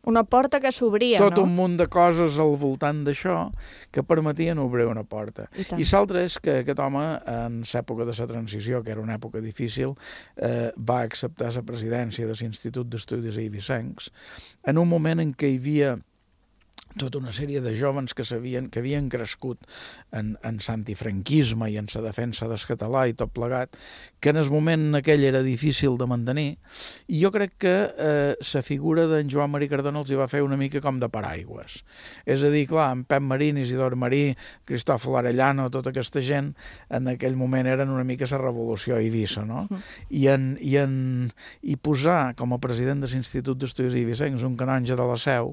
una porta que s'obria, no? Tot un munt de coses al voltant d'això que permetien obrir una porta. I l'altre és que aquest home, en l'època de la transició, que era una època difícil, va acceptar la presidència de l'Institut d'Estudis Eivissencs en un moment en què hi havia tota una sèrie de jóvens que havien crescut en l'antifranquisme i en la defensa del català i tot plegat, que en el moment aquell era difícil de mantenir, i jo crec que la figura d'en Joan Marí Cardona els hi va fer una mica com de paraigües. És a dir, clar, en Pep Marín, Isidor Marí, Cristòfol Arellano, tota aquesta gent, en aquell moment eren una mica la revolució a Eivissa, no? I posar com a president de l'Institut d'Estudis Eivissencs un canonge de la Seu,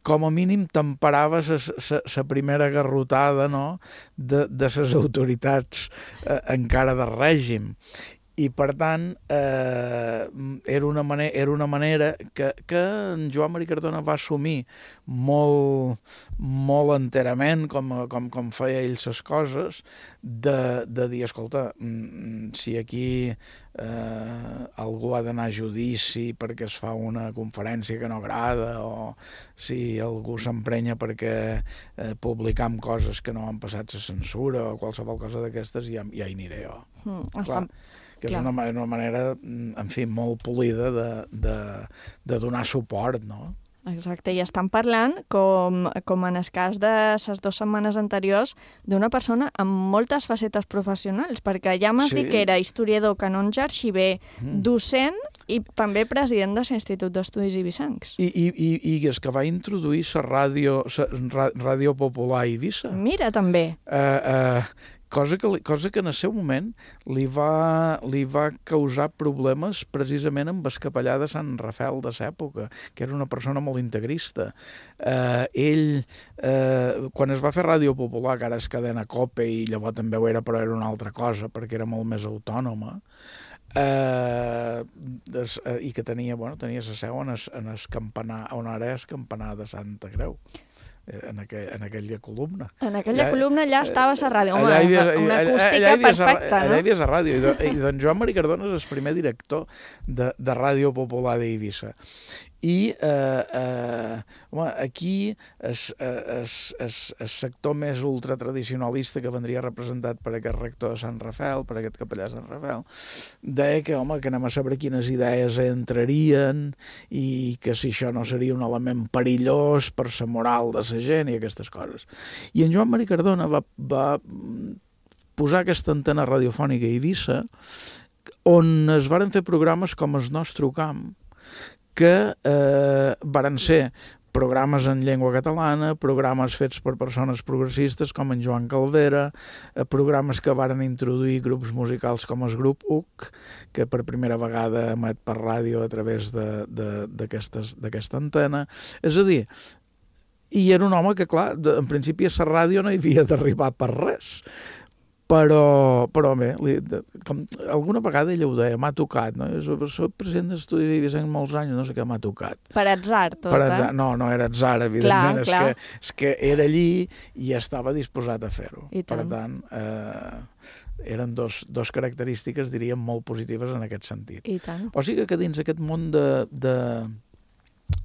com a mínim temperava la primera garrotada, no?, de les autoritats encara del règim. I, per tant, era una manera que en Joan Marí Cardona va assumir molt enterament, com feia ell les coses, de dir, escolta, si aquí algú ha d'anar a judici perquè es fa una conferència que no agrada, o si algú s'emprenya perquè publicam coses que no han passat la censura o qualsevol cosa d'aquestes, ja hi aniré jo. Clar, que és una manera, en fi, molt polida de donar suport, no? Exacte, i estan parlant, com en el cas de les 2 setmanes anteriors, d'una persona amb moltes facetes professionals, perquè ja m'has dit que era historiador, canonge, arxiver, docent i també president de l'Institut d'Estudis Eivissencs. I és que va introduir la ràdio popular a Eivissa. Mira, també. Cosa que en el seu moment li va causar problemes precisament amb el capellà de Sant Rafel de l'època, que era una persona molt integrista. Ell, quan es va fer Ràdio Popular, que ara és cadena COPE, i llavors també ho era, però era una altra cosa, perquè era molt més autònoma, i que tenia la seu en el campanar, on ara és campanar de Santa Creu. En aquella columna. En aquella columna allà estava la ràdio. Home, una acústica perfecta, no? Allà hi havia la ràdio. I doncs Joan Marí Cardona és el primer director de Ràdio Popular d'Eivissa. I aquí el sector més ultratradicionalista que vendria representat per aquest rector de Sant Rafel, per aquest capellà de Sant Rafel, deia que anem a saber quines idees entrarien i que si això no seria un element perillós per la moral de la gent i aquestes coses. I en Joan Marí Cardona va posar aquesta antena radiofònica a Eivissa, on es varen fer programes com El Nostre Camp, que varen ser programes en llengua catalana, programes fets per persones progressistes com en Joan Calvera, programes que varen introduir grups musicals com el grup UC, que per primera vegada emet per ràdio a través d'aquesta antena. És a dir, i era un home que, clar, en principi a la ràdio no hi havia d'arribar per res. Però bé, alguna vegada ella ho deia, m'ha tocat, no? Soc president d'Estudis Eivissencs molts anys, no sé què m'ha tocat. Per atzar, tot, No era atzar, evidentment, és que era allí i estava disposat a fer-ho. Per tant, eren dos característiques, diríem, molt positives en aquest sentit. I tant. O sigui que dins aquest món de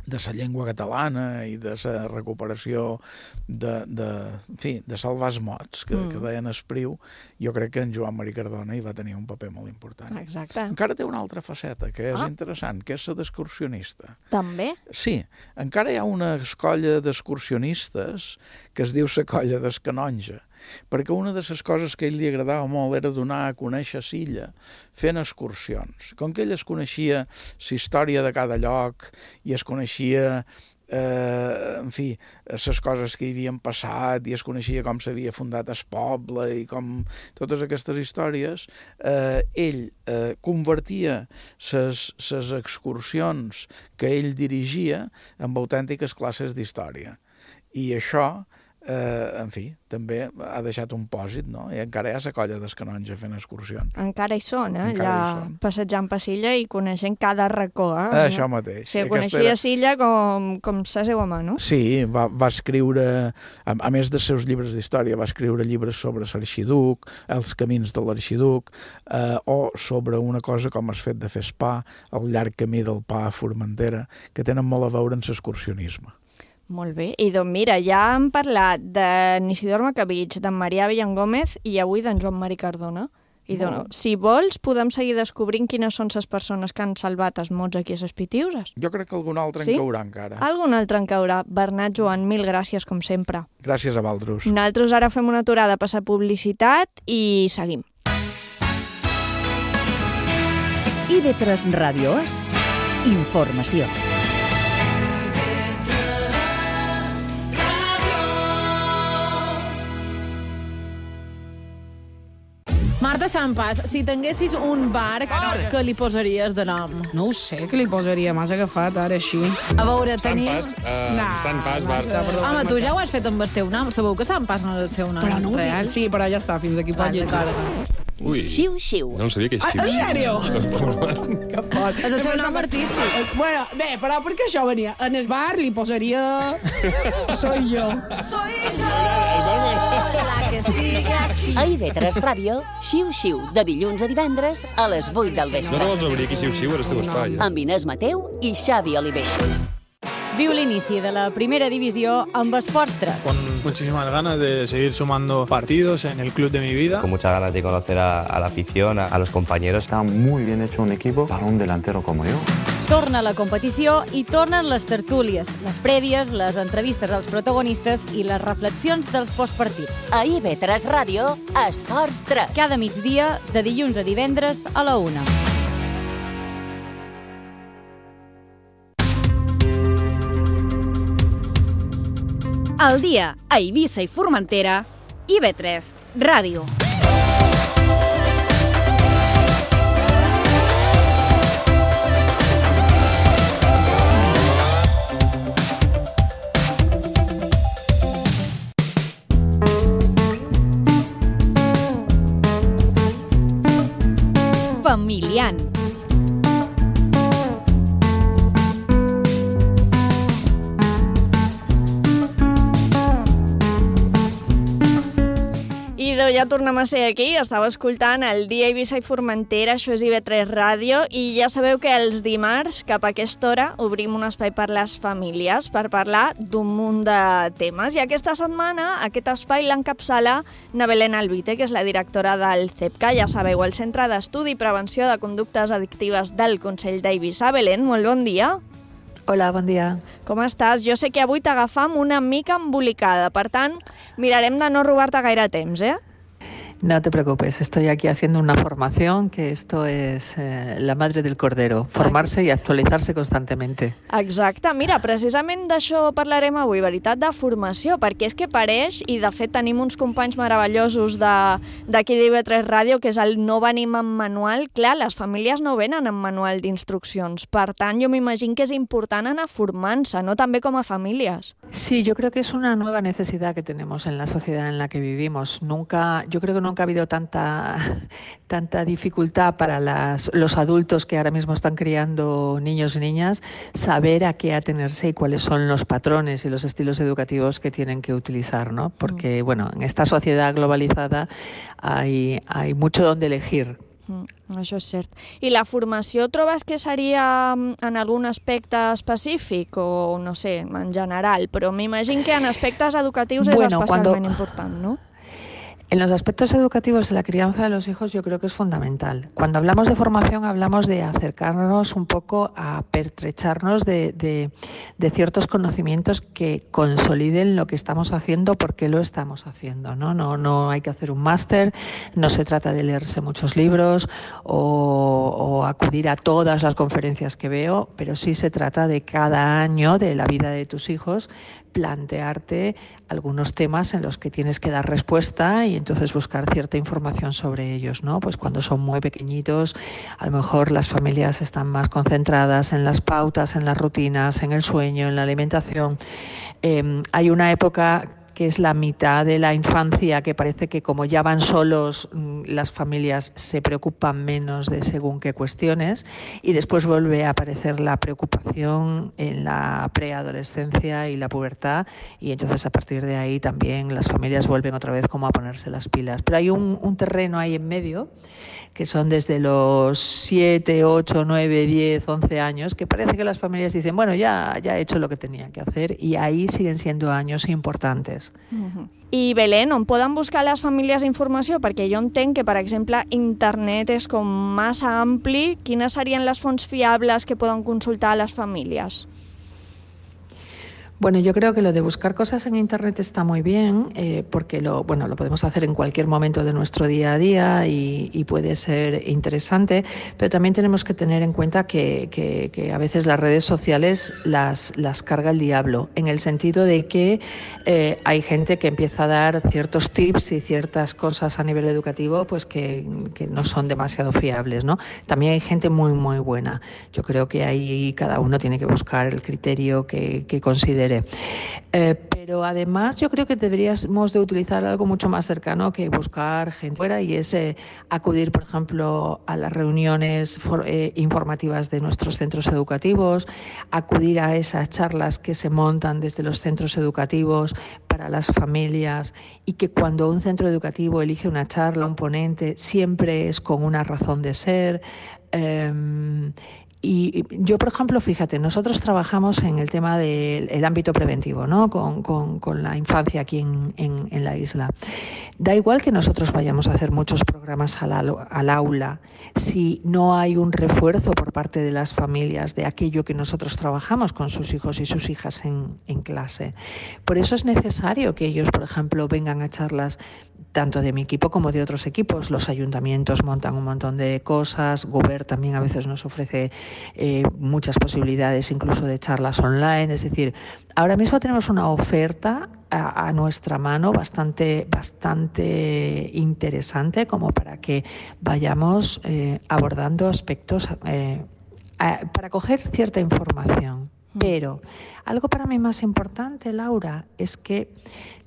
la llengua catalana i de la recuperació de salvar els mots que deien Espriu, jo crec que en Joan Marí Cardona hi va tenir un paper molt important. Exacte. Encara té una altra faceta que és interessant, que és la d'excursionista. També? Sí, encara hi ha una colla d'excursionistes que es diu la colla del Canonge, perquè una de les coses que a ell li agradava molt era donar a conèixer l'illa fent excursions. Com que ell es coneixia la història de cada lloc i es coneixia en fi, les coses que hi havien passat i es coneixia com s'havia fundat el poble i com totes aquestes històries, ell convertia les excursions que ell dirigia en autèntiques classes d'història. I això, en fi, també ha deixat un pòsit, no? I encara hi ha la colla dels Canonge fent excursions. Encara hi són, allà passejant per Silla i coneixent cada racó. Això mateix. Sí, coneixia Silla com la seva mà, no? Sí, va escriure, a més dels seus llibres d'història, va escriure llibres sobre l'arxiduc, els camins de l'arxiduc, o sobre una cosa com el fet de fer el pa, el llarg camí del pa a Formentera, que tenen molt a veure amb l'excursionisme. Molt bé. I doncs mira, ja hem parlat d'en Isidor Macabich, d'en Marià Villangómez i avui d'en Joan Marí Cardona. I doncs, si vols, podem seguir descobrint quines són les persones que han salvat els mots aquí a les Pitiuses. Jo crec que algun altre en caurà encara. Algun altre en caurà. Bernat, Joan, mil gràcies, com sempre. Gràcies a vosaltres. Nosaltres ara fem una aturada a passar publicitat i seguim. IB3 Ràdio és informació. Marta Sampas, si tinguessis un bar, què li posaries de nom? No ho sé, què li posaria? M'has agafat ara així. A veure, tenim... Sant Pas, bar. Home, tu ja ho has fet amb el teu nom. Sabeu que Sant Pas no és el seu nom però no real? Sí, però ja està, fins aquí pot llegir. Ui, Xiu-xiu. no sabia que és xiu-xiu. En sèrio? Que fort. És el seu nom artístic. Bueno, bé, però perquè això venia. En el bar li posaria... Soy yo. La que sigue aquí. A IB3 Ràdio, xiu-xiu, de dilluns a divendres a les 8 del vespre. No te vols obrir aquí xiu-xiu a les teves falles. Amb Inés Mateu i Xavi Oliver. Viu l'inici de la primera divisió amb Esports 3. Con muchísimas ganas de seguir sumando partidos en el club de mi vida. Con muchas ganas de conocer a la afición, a los compañeros. Está muy bien hecho un equipo para un delantero como yo. Torna la competició i tornen les tertúlies, les prèvies, les entrevistes als protagonistes i les reflexions dels postpartits. A IB3 Ràdio, Esports 3. Cada migdia, de dilluns a divendres a la 1. Al dia a Eivissa i Formentera, IB3 Ràdio. Familian. Ja tornem a ser aquí, estava escoltant el dia Eivissa i Formentera, això és IB3 Ràdio, i ja sabeu que els dimarts, cap a aquesta hora, obrim un espai per les famílies, per parlar d'un munt de temes. I aquesta setmana, aquest espai l'encapçala na Belén Albite, que és la directora del CEPCA, ja sabeu, el Centre d'Estudi i Prevenció de Conductes Addictives del Consell d'Eivissa. Belén, molt bon dia. Hola, bon dia. Com estàs? Jo sé que avui t'agafam una mica embolicada, per tant, mirarem de no robar-te gaire temps, No te preocupes, estoy aquí haciendo una formación, que esto es la madre del cordero, formarse y actualizarse constantemente. Exacte, mira, precisament d'això parlarem avui, veritat, de formació, perquè és que pareix, i de fet tenim uns companys meravellosos d'aquí d'IB3 Ràdio, que és el no venim amb manual. Clar, les famílies no venen amb manual d'instruccions, per tant, jo m'imagino que és important anar formant-se, no també com a famílies. Sí, yo creo que es una nueva necesidad que tenemos en la sociedad en la que vivimos. Yo creo que nunca ha habido tanta dificultad para los adultos que ahora mismo están criando niños y niñas, saber a qué atenerse y cuáles son los patrones y los estilos educativos que tienen que utilizar, ¿no? Porque, bueno, en esta sociedad globalizada hay mucho donde elegir. Això és cert. I la formació trobes que seria en algun aspecte específic o, no sé, en general, però m'imagino que en aspectes educatius és especialment important, ¿no? En los aspectos educativos de la crianza de los hijos yo creo que es fundamental. Cuando hablamos de formación hablamos de acercarnos un poco a pertrecharnos de ciertos conocimientos que consoliden lo que estamos haciendo, por qué lo estamos haciendo, ¿no? No hay que hacer un máster, no se trata de leerse muchos libros o acudir a todas las conferencias que veo, pero sí se trata de cada año de la vida de tus hijos plantearte algunos temas en los que tienes que dar respuesta y entonces buscar cierta información sobre ellos, ¿no? Pues cuando son muy pequeñitos, a lo mejor las familias están más concentradas en las pautas, en las rutinas, en el sueño, en la alimentación. Hay una época que es la mitad de la infancia, que parece que como ya van solos, las familias se preocupan menos de según qué cuestiones, y después vuelve a aparecer la preocupación en la preadolescencia y la pubertad, y entonces a partir de ahí también las familias vuelven otra vez como a ponerse las pilas. Pero hay un terreno ahí en medio, que son desde los 7, 8, 9, 10, 11 años, que parece que las familias dicen, bueno, ya he hecho lo que tenía que hacer, y ahí siguen siendo años importantes. I Belén, on poden buscar les famílies informació? Perquè jo entenc que, per exemple, internet és com massa ampli. Quines serien les fonts fiables que poden consultar les famílies? Bueno, yo creo que lo de buscar cosas en Internet está muy bien, porque lo podemos hacer en cualquier momento de nuestro día a día y puede ser interesante, pero también tenemos que tener en cuenta que a veces las redes sociales las carga el diablo, en el sentido de que hay gente que empieza a dar ciertos tips y ciertas cosas a nivel educativo pues que no son demasiado fiables, ¿no? También hay gente muy, muy buena. Yo creo que ahí cada uno tiene que buscar el criterio que considere. Pero además yo creo que deberíamos de utilizar algo mucho más cercano que buscar gente fuera, y es acudir, por ejemplo, a las reuniones informativas de nuestros centros educativos, acudir a esas charlas que se montan desde los centros educativos para las familias, y que cuando un centro educativo elige una charla, un ponente, siempre es con una razón de ser. Y yo, por ejemplo, fíjate, nosotros trabajamos en el tema del ámbito preventivo, ¿no? Con la infancia aquí en la isla. Da igual que nosotros vayamos a hacer muchos programas al aula, si no hay un refuerzo por parte de las familias de aquello que nosotros trabajamos con sus hijos y sus hijas en clase. Por eso es necesario que ellos, por ejemplo, vengan a charlas tanto de mi equipo como de otros equipos. Los ayuntamientos montan un montón de cosas, Govern también a veces nos ofrece muchas posibilidades, incluso de charlas online. Es decir, ahora mismo tenemos una oferta a nuestra mano bastante interesante como para que vayamos abordando aspectos para coger cierta información. Pero algo para mí más importante, Laura, es que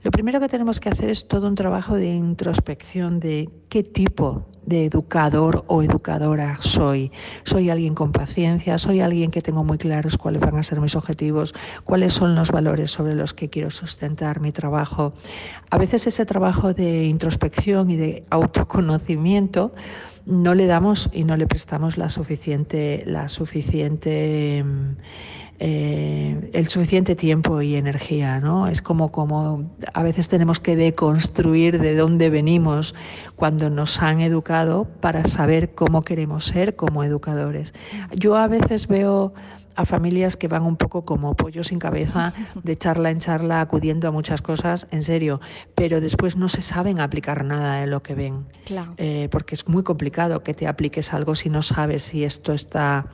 lo primero que tenemos que hacer es todo un trabajo de introspección de qué tipo de educador o educadora soy. ¿Soy alguien con paciencia? ¿Soy alguien que tengo muy claros cuáles van a ser mis objetivos? ¿Cuáles son los valores sobre los que quiero sustentar mi trabajo? A veces ese trabajo de introspección y de autoconocimiento no le damos y no le prestamos el suficiente tiempo y energía, ¿no? Es como a veces tenemos que deconstruir de dónde venimos cuando nos han educado para saber cómo queremos ser como educadores. Yo a veces veo a familias que van un poco como pollo sin cabeza, de charla en charla, acudiendo a muchas cosas, en serio, pero después no se saben aplicar nada de lo que ven. Claro. Porque es muy complicado que te apliques algo si no sabes si esto está...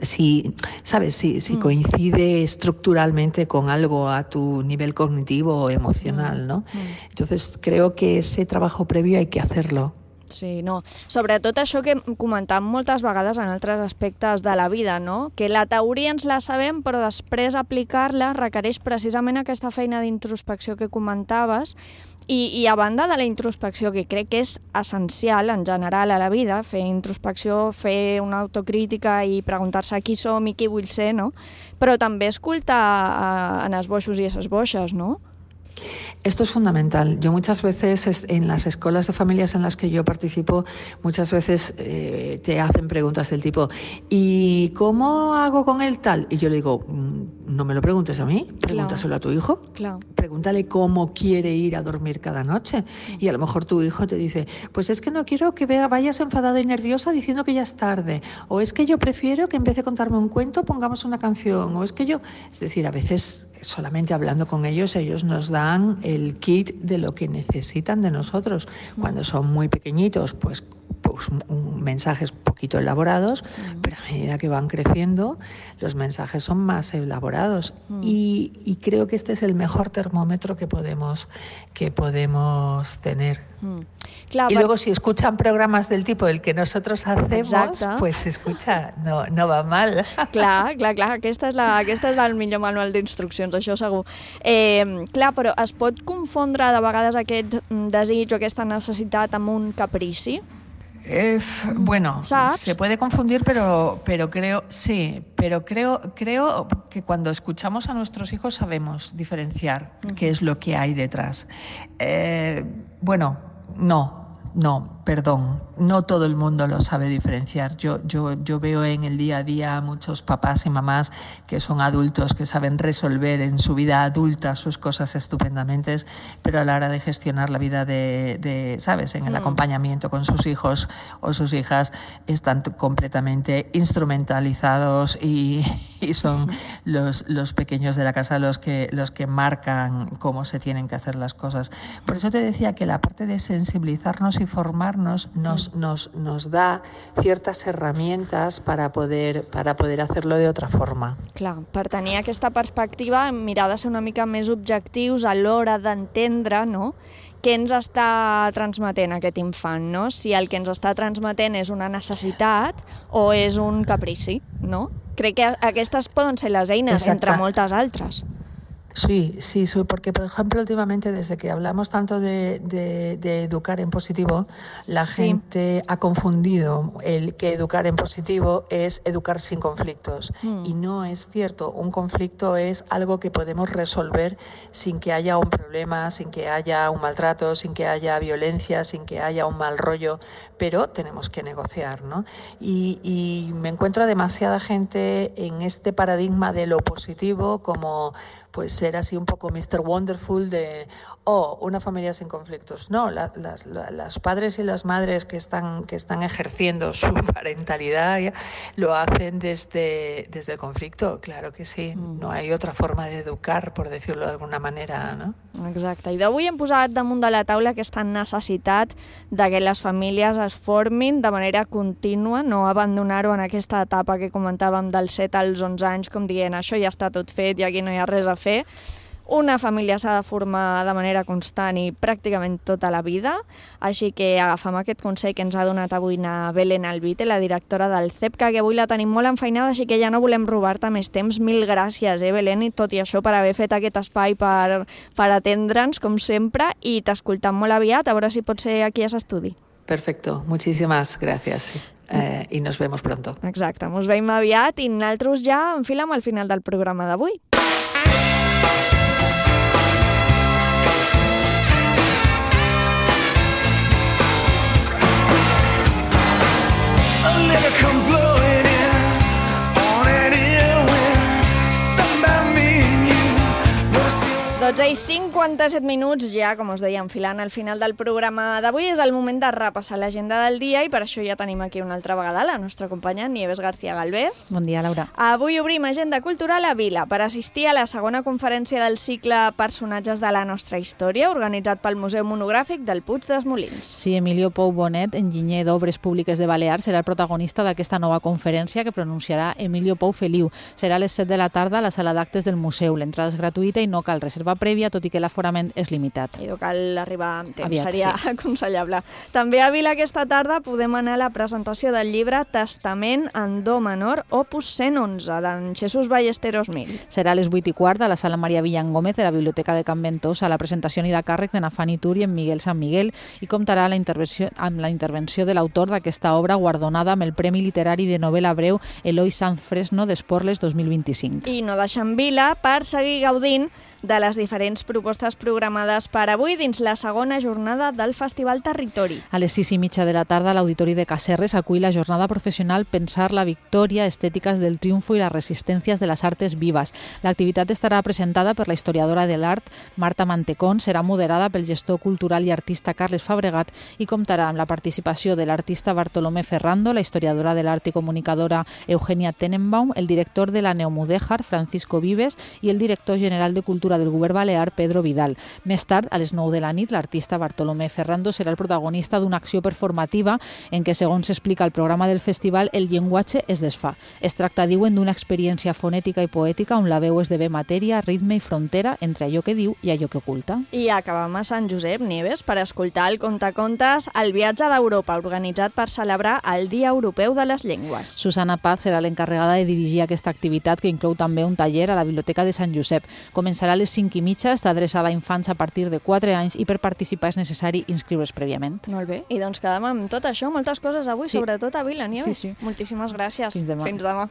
Si coincide estructuralmente con algo a tu nivel cognitivo o emocional, ¿no? Entonces creo que ese trabajo previo hay que hacerlo. Sí, no. Sobretot això que comentàvem moltes vegades en altres aspectes de la vida, no? Que la teoria ens la sabem, però després aplicar-la requereix precisament aquesta feina d'introspecció que comentaves i a banda de la introspecció, que crec que és essencial en general a la vida, fer introspecció, fer una autocrítica i preguntar-se qui som i qui vull ser, no? Però també escoltar en esboixos i esboixes, no? Esto es fundamental. Yo muchas veces en las escuelas de familias en las que yo participo, muchas veces te hacen preguntas del tipo ¿y cómo hago con el tal? Y yo le digo, no me lo preguntes a mí, pregúntaselo a tu hijo. Claro. Pregúntale cómo quiere ir a dormir cada noche. Y a lo mejor tu hijo te dice, pues es que no quiero que vayas enfadada y nerviosa diciendo que ya es tarde. O es que yo prefiero que en vez de contarme un cuento pongamos una canción. O es que yo... Es decir, a veces solamente hablando con ellos nos dan el kit de lo que necesitan de nosotros. Cuando son muy pequeñitos, pues mensajes poquito elaborados, pero a medida que van creciendo, los mensajes son más elaborados. Y creo que este es el mejor termómetro que podemos tener. Clar, y luego si escuchan programas del tipo del que nosotros hacemos, pues se escucha, no va mal. Clar, aquesta és el millor manual d'instruccions, això segur. Clar, però es pot confondre de vegades aquest desig o aquesta necessitat amb un caprici? Bueno, ¿sabes? Se puede confundir, pero creo que cuando escuchamos a nuestros hijos sabemos diferenciar qué es lo que hay detrás. No todo el mundo lo sabe diferenciar. Yo veo en el día a día muchos papás y mamás que son adultos, que saben resolver en su vida adulta sus cosas estupendamente, pero a la hora de gestionar la vida ¿sabes? En el acompañamiento con sus hijos o sus hijas están completamente instrumentalizados y son los pequeños de la casa los que marcan cómo se tienen que hacer las cosas. Por eso te decía que la parte de sensibilizarnos y formarnos nos da ciertas herramientas para poder hacerlo de otra forma. Clar, per tenir aquesta perspectiva, mirar de ser una mica més objectius a l'hora d'entendre, no?, què ens està transmetent aquest infant, no? Si el que ens està transmetent és una necessitat o és un caprici, no? Crec que aquestes poden ser les eines, entre moltes altres. Sí, porque por ejemplo últimamente desde que hablamos tanto de educar en positivo, la gente ha confundido el que educar en positivo es educar sin conflictos y no es cierto. Un conflicto es algo que podemos resolver sin que haya un problema, sin que haya un maltrato, sin que haya violencia, sin que haya un mal rollo, pero tenemos que negociar, ¿no? Y me encuentro a demasiada gente en este paradigma de lo positivo como pues ser así un poco Mr. Wonderful de, una familia sin conflictos. No, las padres y las madres que están ejerciendo su parentalidad lo hacen desde el conflicto, claro que sí. No hay otra forma de educar, por decirlo de alguna manera, no? Exacte. I d'avui hem posat damunt de la taula aquesta necessitat de que les famílies es formin de manera contínua, no abandonar-ho en aquesta etapa que comentàvem dels 7 als 11 anys, com dient això ja està tot fet i aquí no hi ha res a fer. Una família s'ha de formar de manera constant i pràcticament tota la vida, així que agafem aquest consell que ens ha donat avui na Belén Albite, la directora del CEPCA, que avui la tenim molt enfeinada, així que ja no volem robar-te més temps. Mil gràcies, Belén, i tot i això, per haver fet aquest espai per atendre'ns, com sempre, i t'escoltam molt aviat, a veure si pot ser aquí a l'estudi. Perfecto, muchísimas gracias. Y nos vemos pronto. Exacte, ens veiem aviat i nosaltres ja enfilem al final del programa d'avui. Come blowing in on an ear wind, something about me and you. 12:57, ja, com us deia, enfilant al final del programa d'avui. És el moment de repassar l'agenda del dia i per això ja tenim aquí una altra vegada la nostra companya Nieves García Galvez. Bon dia, Laura. Avui obrim Agenda Cultural a Vila per assistir a la segona conferència del cicle Personatges de la nostra història, organitzat pel Museu Monogràfic del Puig dels Molins. Sí, Emilio Pou Bonet, enginyer d'Obres Públiques de Balears, serà el protagonista d'aquesta nova conferència que pronunciarà Emilio Pou Feliu. Serà a les 7 de la tarda a la sala d'actes del museu. L'entrada és gratuïta i no cal reservar reserva prèvia, tot i que l'aforament és limitat. I cal arribar amb temps, Aviat, seria aconsellable. També a Vila aquesta tarda podem anar a la presentació del llibre Testament en do menor, opus 111, d'en Jesús Ballesteros Mil. Serà a les 8:15 a la sala Maria Villan Gómez de la Biblioteca de Can Ventosa. La presentació anirà a càrrec de Nafani Tur i en Miguel San Miguel i comptarà amb la intervenció de l'autor d'aquesta obra guardonada amb el Premi Literari de Novel·la Breu Eloi Sanz Fresno d'Esporles 2025. I no deixem Vila per seguir gaudint de les diferents propostes programades per avui dins la segona jornada del Festival Territori. A les 6:30 de la tarda, l'Auditori de Caserres acull la jornada professional Pensar la victòria, estètiques del triunfo i les resistències de les artes vives. L'activitat estarà presentada per la historiadora de l'art Marta Mantecón, serà moderada pel gestor cultural i artista Carles Fabregat i comptarà amb la participació de l'artista Bartolomé Ferrando, la historiadora de l'art i comunicadora Eugenia Tenenbaum, el director de la Neomudéjar, Francisco Vives, i el director general de Cultura del Govern Balear, Pedro Vidal. Més tard, a les 9 de la nit, l'artista Bartolomé Ferrando serà el protagonista d'una acció performativa en què, segons s'explica al programa del festival, el llenguatge es desfà. Es tracta, diuen, d'una experiència fonètica i poètica on la veu esdevé matèria, ritme i frontera entre allò que diu i allò que oculta. I acabam a Sant Josep, Nieves, per escoltar el contacontes El viatge d'Europa, organitzat per celebrar el Dia Europeu de les Llengües. Susana Paz serà l'encarregada de dirigir aquesta activitat, que inclou també un taller a la Biblioteca de Sant Josep. Començarà a les 5:30, està adreçada a infants a partir de 4 anys i per participar és necessari inscriure's prèviament. Molt bé, i doncs quedem amb tot això, moltes coses avui, sí. Sobretot a Vila, Nieves. Sí. Moltíssimes gràcies. Fins demà. Fins demà.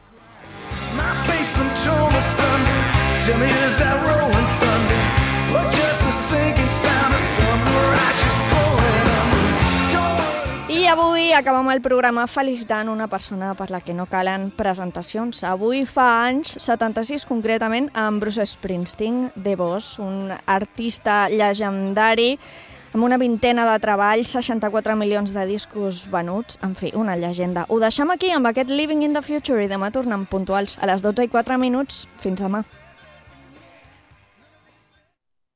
I avui acabem el programa felicitant una persona per la que no calen presentacions. Avui fa anys, 76 concretament, amb Bruce Springsteen, The Boss, un artista llegendari amb una vintena de treballs, 64 milions de discos venuts, en fi, una llegenda. Ho deixem aquí amb aquest Living in the Future i demà tornem puntuals a les 12:04. Fins demà.